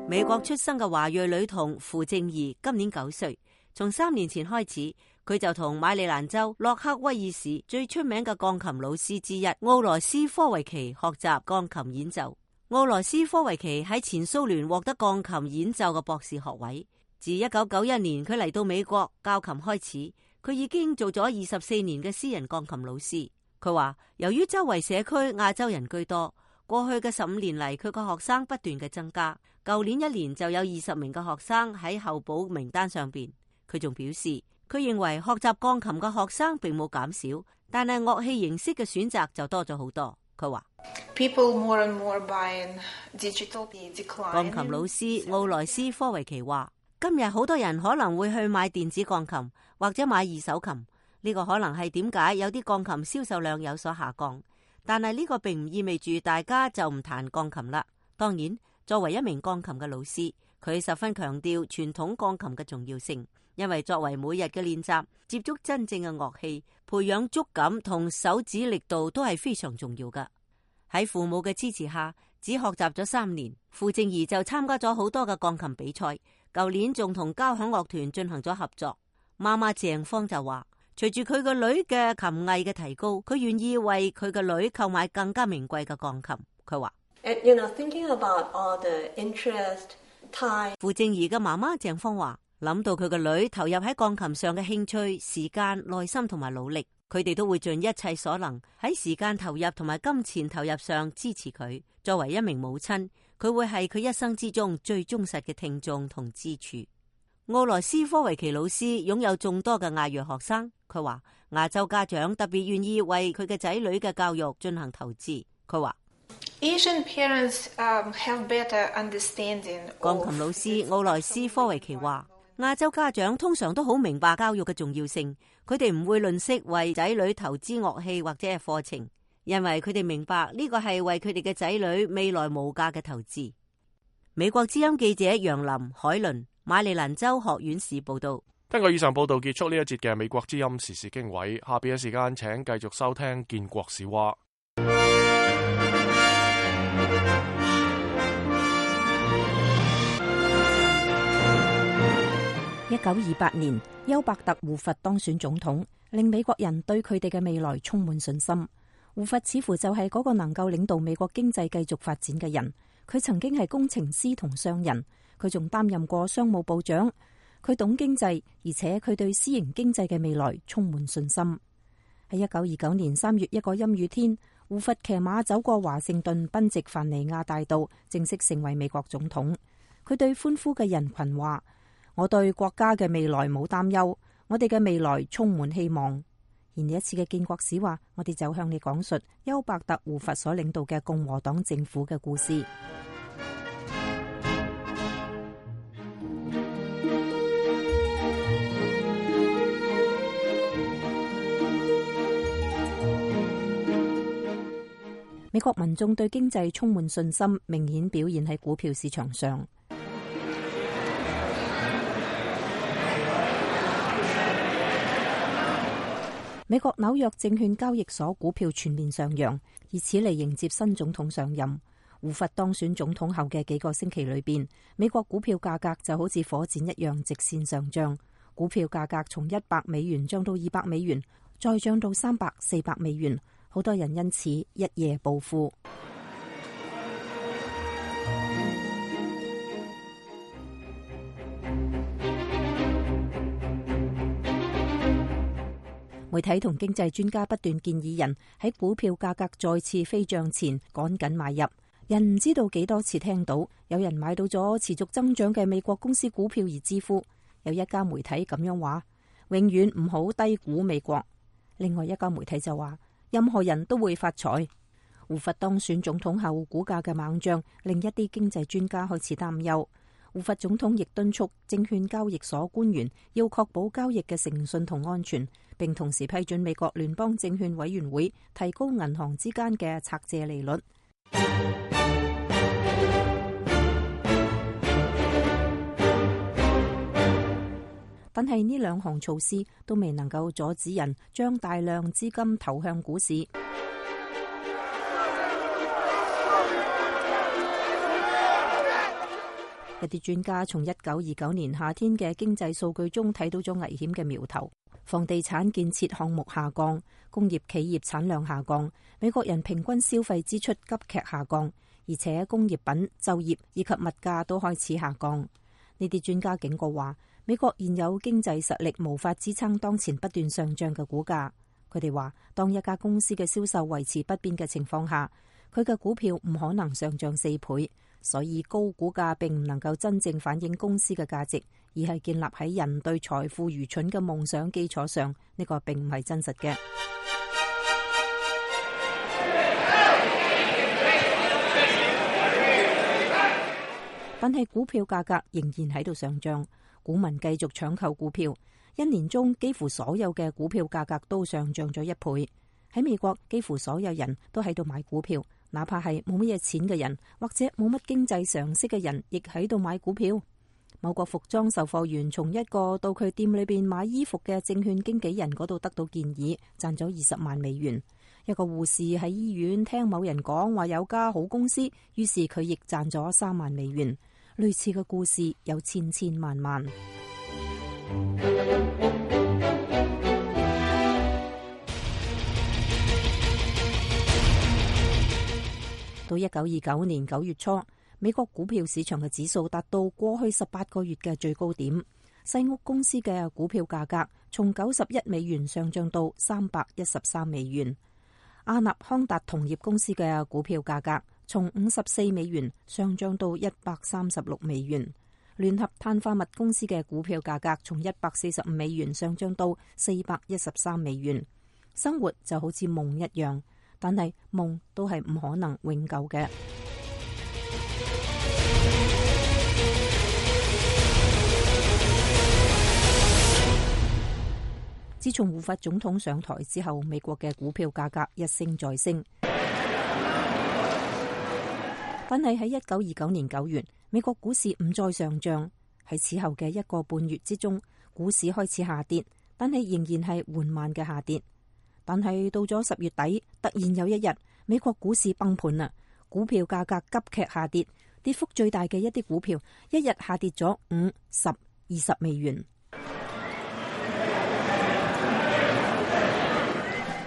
美國出生嘅華裔女童傅正儀今年9歲，從3年前開始，佢就同馬里蘭州洛克威爾市最出名嘅鋼琴老師之一奧羅斯科維奇學習鋼琴演奏。奧羅斯科維奇喺前蘇聯獲得鋼琴演奏嘅博士學位。自1991年佢嚟到美國教琴開始，佢已經做咗24年嘅私人鋼琴老師。佢話由於周圍社區亞洲人居多，過去嘅15年嚟，佢個學生不斷嘅增加。舊年1年就有20名嘅學生喺候補名單上邊。佢仲表示，佢認為學習鋼琴嘅學生並冇減少，但係樂器形式嘅選擇就多咗好多。佢話鋼琴老師奧萊斯科維奇話，今日好多人可能會去買電子鋼琴或者買二手琴，呢個可能係點解有啲鋼琴銷售量有所下降。但係呢個並唔意味住大家就唔彈鋼琴啦。當然，作為一名鋼琴嘅老師，佢十分強調傳統鋼琴嘅重要性，因為作為每日嘅練習，接觸真正嘅樂器，培養觸感同手指力度都係非常重要㗎。喺父母嘅支持下，只學習咗3年，傅正儀就參加咗好多嘅鋼琴比賽。舊年仲同交響樂團進行咗合作。媽媽鄭芳就話，隨住佢個女嘅琴藝嘅提高，佢願意為佢個女購買更加名貴嘅鋼琴。佢話傅正儀嘅媽媽鄭芳話，諗到佢個女投入喺鋼琴上嘅興趣、時間、耐心同埋努力，佢哋都會盡一切所能喺時間投入同埋金錢投入上支持佢。作為一名母親，佢會係佢一生之中最忠實嘅聽眾同支柱。奧萊斯科維奇老師擁有眾多嘅亞裔學生，佢話亞洲家長特別願意為佢嘅仔女嘅教育進行投資。佢話Asian parents have better understanding。鋼琴老師奧萊斯科維奇話，亞洲家長通常都好明白教育嘅重要性，佢哋唔會吝嗇為仔女投資樂器或者係課程，因為佢哋明白呢個係為佢哋嘅仔女未來無價嘅投資。美國之音記者楊林海倫馬里蘭州學院士報道。根據以上報道結束呢一節嘅美國之音時事經緯，下邊嘅時間請繼續收聽建國史話。1928年，休伯特胡佛當選總統，令美國人對佢哋嘅未來充滿信心。胡佛似乎就係嗰個能夠領導美國經濟繼續發展嘅人。佢曾經係工程師同商人，佢仲擔任過商務部長。佢懂經濟，而且佢對私營經濟嘅未來充滿信心。喺1929年3月一個陰雨天，胡佛騎馬走過華盛頓賓夕凡尼亞大道，正式成為美國總統。佢對歡呼嘅人群話：我對國家嘅未來冇擔憂，我哋嘅未來充滿希望。而呢一次嘅建國史話，我哋就向你講述休伯特胡佛所領導嘅共和黨政府嘅故事。美國民眾對經濟充滿信心，明顯表現喺股票市場上。美國紐約證券交易所股票全面上揚，以此嚟迎接新總統上任。胡佛當選總統後嘅幾個星期裏邊，美國股票價格就好似火箭一樣直線上漲。股票價格從100美元漲到200美元，再漲到300、400美元。好多人因此一夜暴富。媒體同經濟專家不斷建議人喺股票價格再次飛漲前趕緊買入。人唔知道幾多次聽到有人買到咗持續增長嘅美國公司股票而致富。有一家媒體咁樣話：永遠唔好低估美國。另外一家媒體就話，任何人都會發財。胡佛當選總統後，股價嘅猛漲令一啲經濟專家開始擔憂。胡佛總統亦敦促證券交易所官員要確保交易嘅誠信同安全，並同時批准美國聯邦證券委員會提高銀行之間嘅拆借利率。但係呢兩項措施都未能夠阻止人將大量資金投向股市。一啲專家從1929年夏天嘅經濟數據中睇到咗危險嘅苗頭。房地產建設項目下降，工業企業產量下降，美國人平均消費支出急劇下降，而且工業品、就業以及物價都開始下降。呢啲專家警告話，美國現有經濟實力無法支撐當前不斷上漲嘅股價。佢哋話，當一家公司嘅銷售維持不變嘅情況下，佢嘅股票唔可能上漲4倍。所以高股價並唔能夠真正反映公司嘅價值，而係建立喺人對財富愚蠢嘅夢想基礎上。呢個並唔係真實嘅。但係股票價格仍然喺度上漲，股民繼續搶購股票。一年中幾乎所有嘅股票價格都上漲咗1倍。喺美國，幾乎所有人都喺度買股票。哪怕係冇乜嘢錢嘅人，或者冇乜經濟常識嘅人，亦喺度買股票。某個服裝售貨員從一個到佢店裏邊買衣服嘅證券經紀人嗰度得到建議，賺咗20萬美元。一個護士喺醫院聽某人講話有家好公司，於是佢亦賺咗3萬美元。類似嘅故事有千千萬萬。到1929年9月初，美國股票市場嘅指數達到過去18個月嘅最高點。西屋公司嘅股票價格從91美元上漲到313美元。阿納康達銅業公司嘅股票價格從54美元上漲到136美元。聯合碳化物公司嘅股票價格從145美元上漲到413美元。生活就好似夢一樣。但係夢都係唔可能永久嘅。自從胡佛總統上台之後，美國嘅股票價格一升再升。但係喺1929年9月，美國股市唔再上漲。喺此後嘅1個半月之中，股市開始下跌，但係仍然係緩慢嘅下跌。但係到咗10月底，突然有一日，美國股市崩盤啦，股票價格急劇下跌，跌幅最大嘅一啲股票，一日下跌咗5、10、20美元。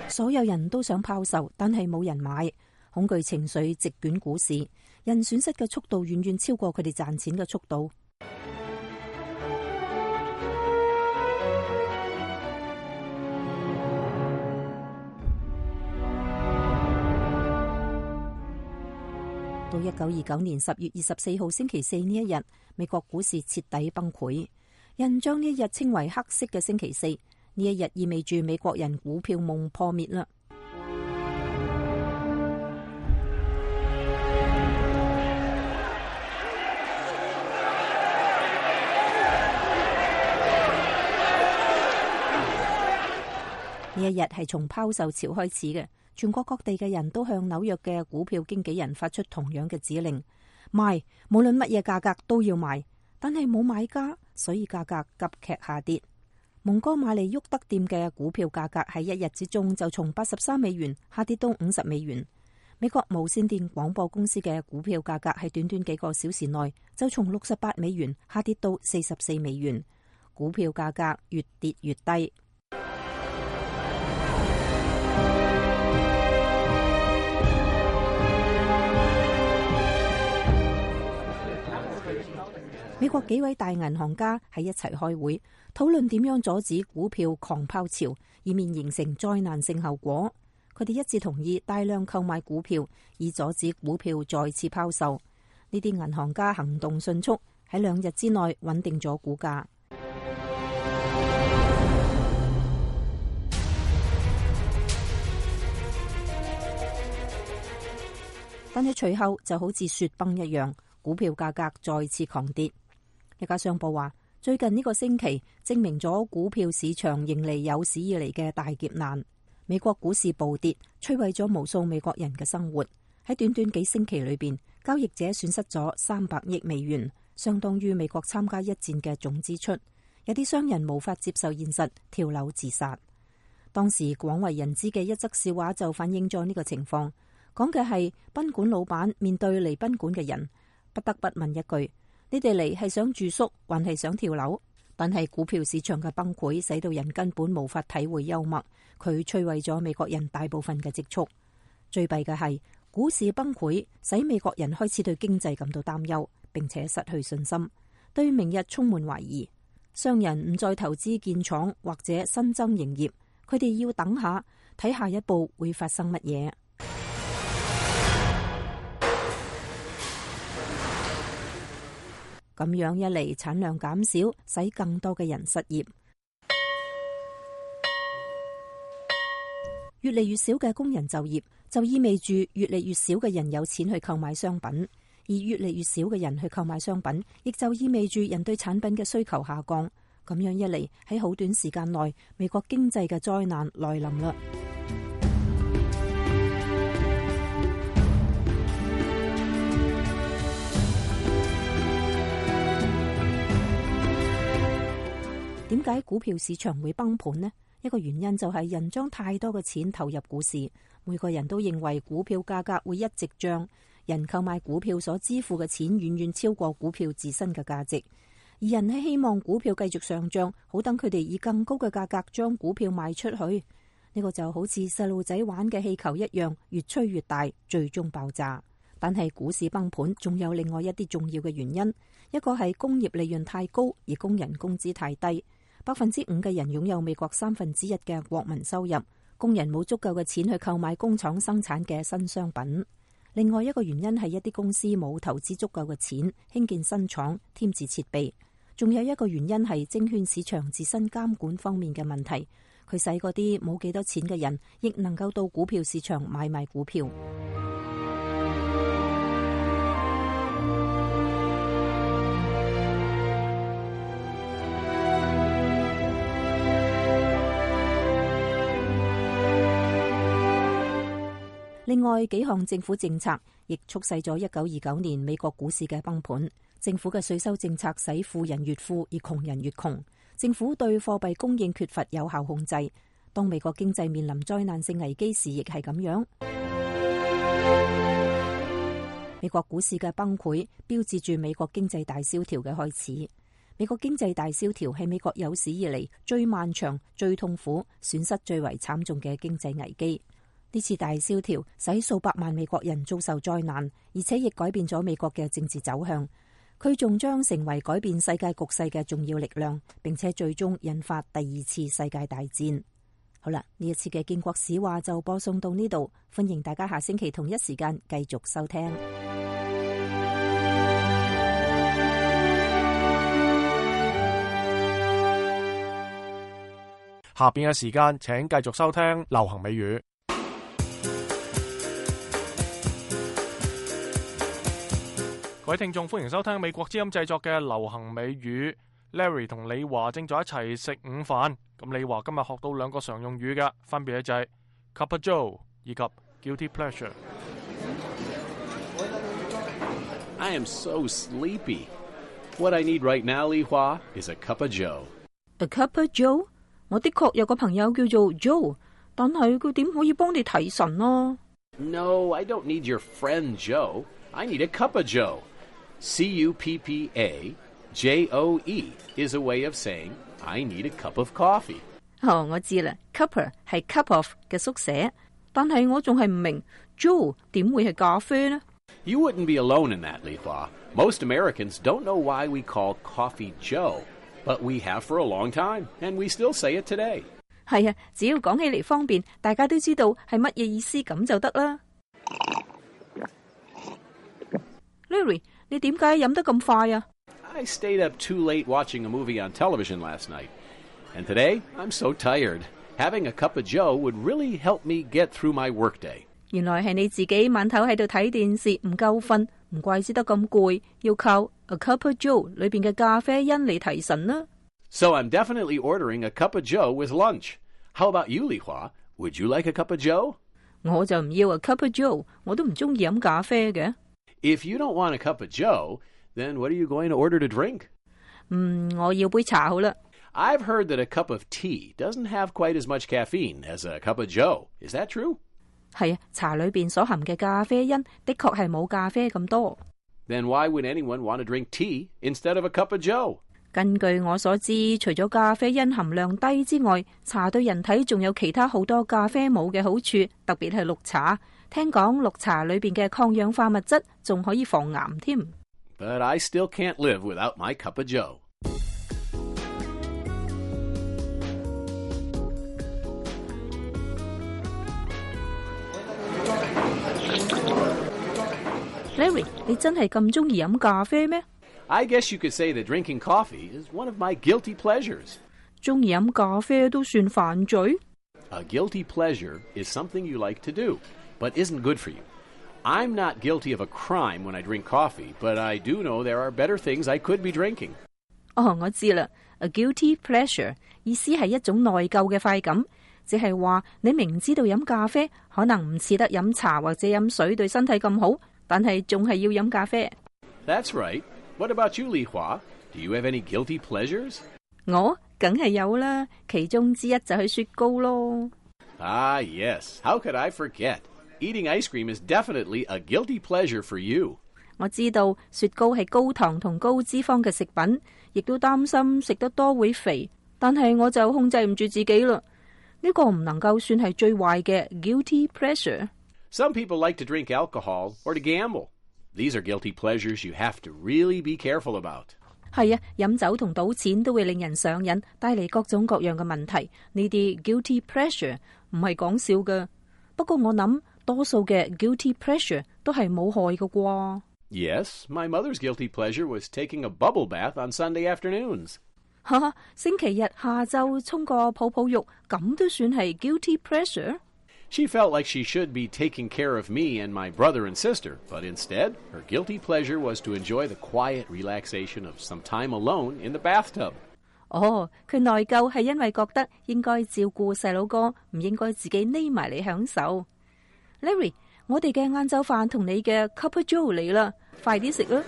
所有人都想拋售，但係冇人買，恐懼情緒席捲股市，人損失嘅速度遠遠超過佢哋賺錢嘅速度。到1929年10月24號星期四呢一日，美國股市徹底崩潰。人將呢一日稱為黑色嘅星期四，呢一日意味住美國人股票夢破滅啦。呢一日係從拋售潮開始嘅。全國各地嘅人都向紐約嘅股票經紀人發出同樣嘅指令：賣，無論乜嘢價格都要賣。但係冇買家，所以價格急劇下跌。蒙哥馬利沃德店嘅股票價格喺一日之中就從83美元下跌到50美元。美國無線電廣播公司嘅股票價格喺短短幾個小時內就從68美元下跌到44美元。股票價格越跌越低。美國幾位大銀行家喺一齊開會，討論點樣阻止股票狂拋潮，以免形成災難性後果。佢哋一致同意大量購買股票，以阻止股票再次拋售。呢啲銀行家行動迅速，喺2日之內穩定咗股價。但係隨後就好似雪崩一樣，股票價格再次狂跌。一家商報話，最近呢個星期證明咗股票市場迎嚟有史以嚟嘅大劫難。美國股市暴跌，摧毀咗無數美國人嘅生活。喺短短幾星期裏邊，交易者損失咗300億美元，相當於美國參加一戰嘅總支出。有啲商人無法接受現實，跳樓自殺。當時廣為人知嘅一則笑話就反映咗呢個情況，講嘅係賓館老闆面對嚟賓館嘅人，不得不問一句：你哋嚟係想住宿，還係想跳樓？但係股票市場嘅崩潰，使到人根本無法體會幽默，佢摧毀咗美國人大部分嘅積蓄。最弊嘅係股市崩潰，使美國人開始對經濟感到擔憂，並且失去信心，對明日充滿懷疑。商人唔再投資建廠或者新增營業，佢哋要等下睇下一步會發生乜嘢。咁樣一嚟，產量減少，使更多嘅人失業。越嚟越少嘅工人就業，就意味住越嚟越少嘅人有錢去購買商品。而越嚟越少嘅人去購買商品，亦就意味住人對產品嘅需求下降。咁樣一嚟，喺好短時間內，美國經濟嘅災難來臨啦。點解股票市場會崩盤呢？一個原因就係人將太多嘅錢投入股市，每個人都認為股票價格會一直漲。人購買股票所支付嘅錢遠遠超過股票自身嘅價值，而人係希望股票繼續上漲，好等佢哋以更高嘅價格將股票賣出去。呢個就好似細路仔玩嘅氣球一樣，越吹越大，最終爆炸。但係股市崩盤仲有另外一啲重要嘅原因，一個係工業利潤太高，而工人工資太低。5%嘅人擁有美國1/3嘅國民收入，工人冇足夠嘅錢去購買工廠生產嘅新商品。另外一個原因係一啲公司冇投資足夠嘅錢興建新廠、添置設備。仲有一個原因係證券市場自身監管方面嘅問題，佢使嗰啲冇幾多錢嘅人亦能夠到股票市場買賣股票。另外幾項政府政策亦促使咗1929年美國股市嘅崩盤。政府嘅稅收政策使富人越富，而窮人越窮。政府對貨幣供應缺乏有效控制。當美國經濟面臨災難性危機時，亦係咁樣。美國股市嘅崩潰標誌住美國經濟大蕭條嘅開始。美國經濟大蕭條係美國有史以嚟最漫長、最痛苦、損失最為慘重嘅經濟危機。呢次大蕭條使數百萬美國人遭受災難，而且亦改變咗美國嘅政治走向。佢仲將成為改變世界局勢嘅重要力量，並且最終引發第2次世界大戰。好啦，呢一次嘅建國史話就播送到呢度，歡迎大家下星期同一時間繼續收聽。下邊嘅時間，請繼續收聽流行美語。各位聽眾，歡迎收聽美國之音製作嘅流行美語。Larry 同李華正在一齊食午飯。咁李華今日學到2個常用語嘅，分別就係 Cup of Joe 以及 Guilty Pleasure。 I am so sleepy. What I need right now, Li Hua, is a cup of Joe. A cup of Joe？ 我的確有個朋友叫做 Joe， 但係佢點可以幫你提神啊？ No, I don't need your friend Joe. I need a cup of Joe.CUPPAJOE is a way of saying I need a cup of coffee. 我知啦 ，cuppa 係 cup of 嘅縮寫，但係我仲係唔明 Joe 點會係咖啡呢？ You wouldn't be alone in that, Li Hua. Most Americans don't know why we call coffee Joe, but we have for a long time, and we still say it today. 係啊，只要講起嚟方便，大家都知道係乜嘢意思咁就得啦。Larry， 你點解飲得咁快啊？ I stayed up too late watching a movie on television last night. And today, I'm so tired. Having a cup of Joe would really help me get through my workday. 原來係你自己晚頭喺度睇電視唔夠瞓，唔怪之得咁攰，要靠 A Cup of Joe 裏邊嘅咖啡因嚟提神啦。So I'm definitely ordering a cup of Joe with lunch. How about you, Li Hua? Would you like a cup of Joe? 我就唔要 A Cup of Joe， 我都唔中意飲咖啡嘅。If you don't want a cup of Joe, then what are you going to order to drink? 我要杯茶好啦。I've heard that a cup of tea doesn't have quite as much caffeine as a cup of Joe. Is that true? 係啊，茶裏邊所含嘅咖啡因的確係冇咖啡咁多。Then why would anyone want to drink tea instead of a cup of Joe? 根據我所知，除咗咖啡因含量低之外，茶對人體仲有其他好多咖啡冇嘅好處，特別係綠茶。聽講綠茶裏邊嘅抗氧化物質仲可以防癌添。But I still can't live without my cup of Joe. Larry， 你真係咁中意飲咖啡咩？ I guess you could say that drinking coffee is one of my guilty pleasures. 中意飲咖啡都算犯罪？ A guilty pleasure is something you like to do, but isn't good for you. I'm not guilty of a crime when I drink coffee, but I do know there are better things I could be drinking. 我知啦。A guilty pleasure 意思係一種內疚嘅快感，即係話你明知道飲咖啡可能唔似得飲茶或者飲水對身體咁好，但係仲係要飲咖啡。That's right. What about you, Li Hua? Do you have any guilty pleasures? 我梗係有啦，其中之一就係雪糕咯。Ah, yes. How could I forget? Eating ice cream is definitely a guilty pleasure for you. 我知道雪糕係高糖同高脂肪嘅食品，亦都擔心食得多會肥，但係我就控制唔住自己啦。呢個唔能夠算係最壞嘅 guilty pleasure。 Some people like to drink alcohol or to gamble. These are guilty pleasures you have to really be careful about. 係啊，飲酒同賭錢都會令人上癮，帶嚟各種各樣嘅問題。呢啲 guilty pleasure 唔係講笑㗎。不過我諗多數嘅 guilty pleasure 都係冇害㗎啩。Yes, my mother's guilty pleasure was taking a bubble bath on Sunday afternoons. 星期日下晝沖個泡泡浴，咁都算係 guilty pleasure？ She felt like she should be taking care of me and my brother and sister, but instead, her guilty pleasure was to enjoy the quiet relaxation of some time alone in the bathtub. 佢內疚係因為覺得應該照顧細佬哥，唔應該自己匿埋嚟享受。Larry， 我哋嘅晏晝飯同你嘅 Cup of Joe 嚟啦，快啲食啦！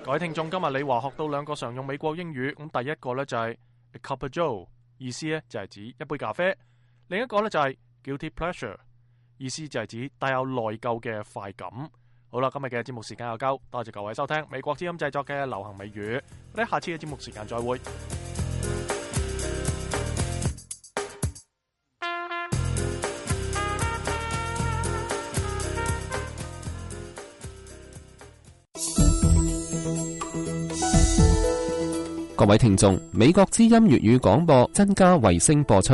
各位聽眾，今日李華學到兩個常用美國英語，咁第一個呢就係 A Cup of Joe， 意思呢就係指一杯咖啡；另一個呢就係 Guilty Pleasure， 意思就係指帶有內疚嘅快感。好啦，今日嘅節目時間又夠，多謝各位收聽美國之音製作嘅流行美語，我哋下次嘅節目時間再會。各位聽眾，美國之音粵語廣播增加衛星播出。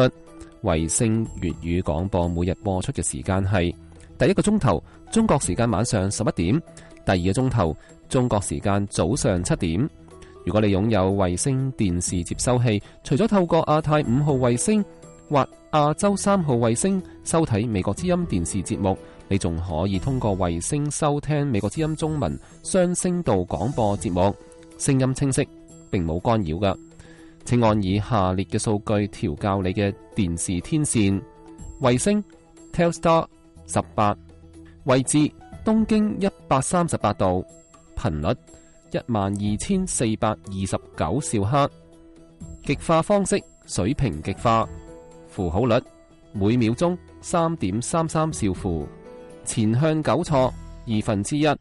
衛星粵語廣播每日播出嘅時間係第一個鐘頭中國時間晚上11點，第二個鐘頭中國時間早上7點。如果你擁有衛星電視接收器，除咗透過亞太5號衛星或亞洲3號衛星收睇美國之音電視節目，你仲可以通過衛星收聽美國之音中文雙聲道廣播節目，聲音清晰，並冇干擾㗎。請按以下列嘅數據調校你嘅電視天線：衛星 Telstar 18，位置東經138度，頻率12429兆赫，極化方式水平極化，符號率每秒鐘3.33兆符，前向糾錯1/2，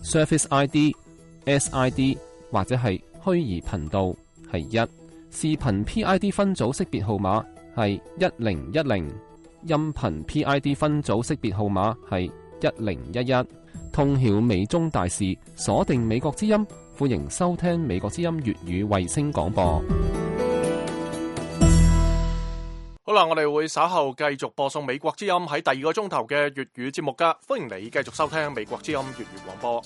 Surface ID、SID 或者係虛擬頻道係1，視頻 PID 分組識別號碼係1010，音頻 PID 分組識別號碼係1011。通曉美中大事，鎖定美國之音，歡迎收聽美國之音粵語衛星廣播。好啦，我哋會稍後繼續播送美國之音喺第二個鐘頭嘅粵語節目噶，歡迎你繼續收聽美國之音粵語廣播。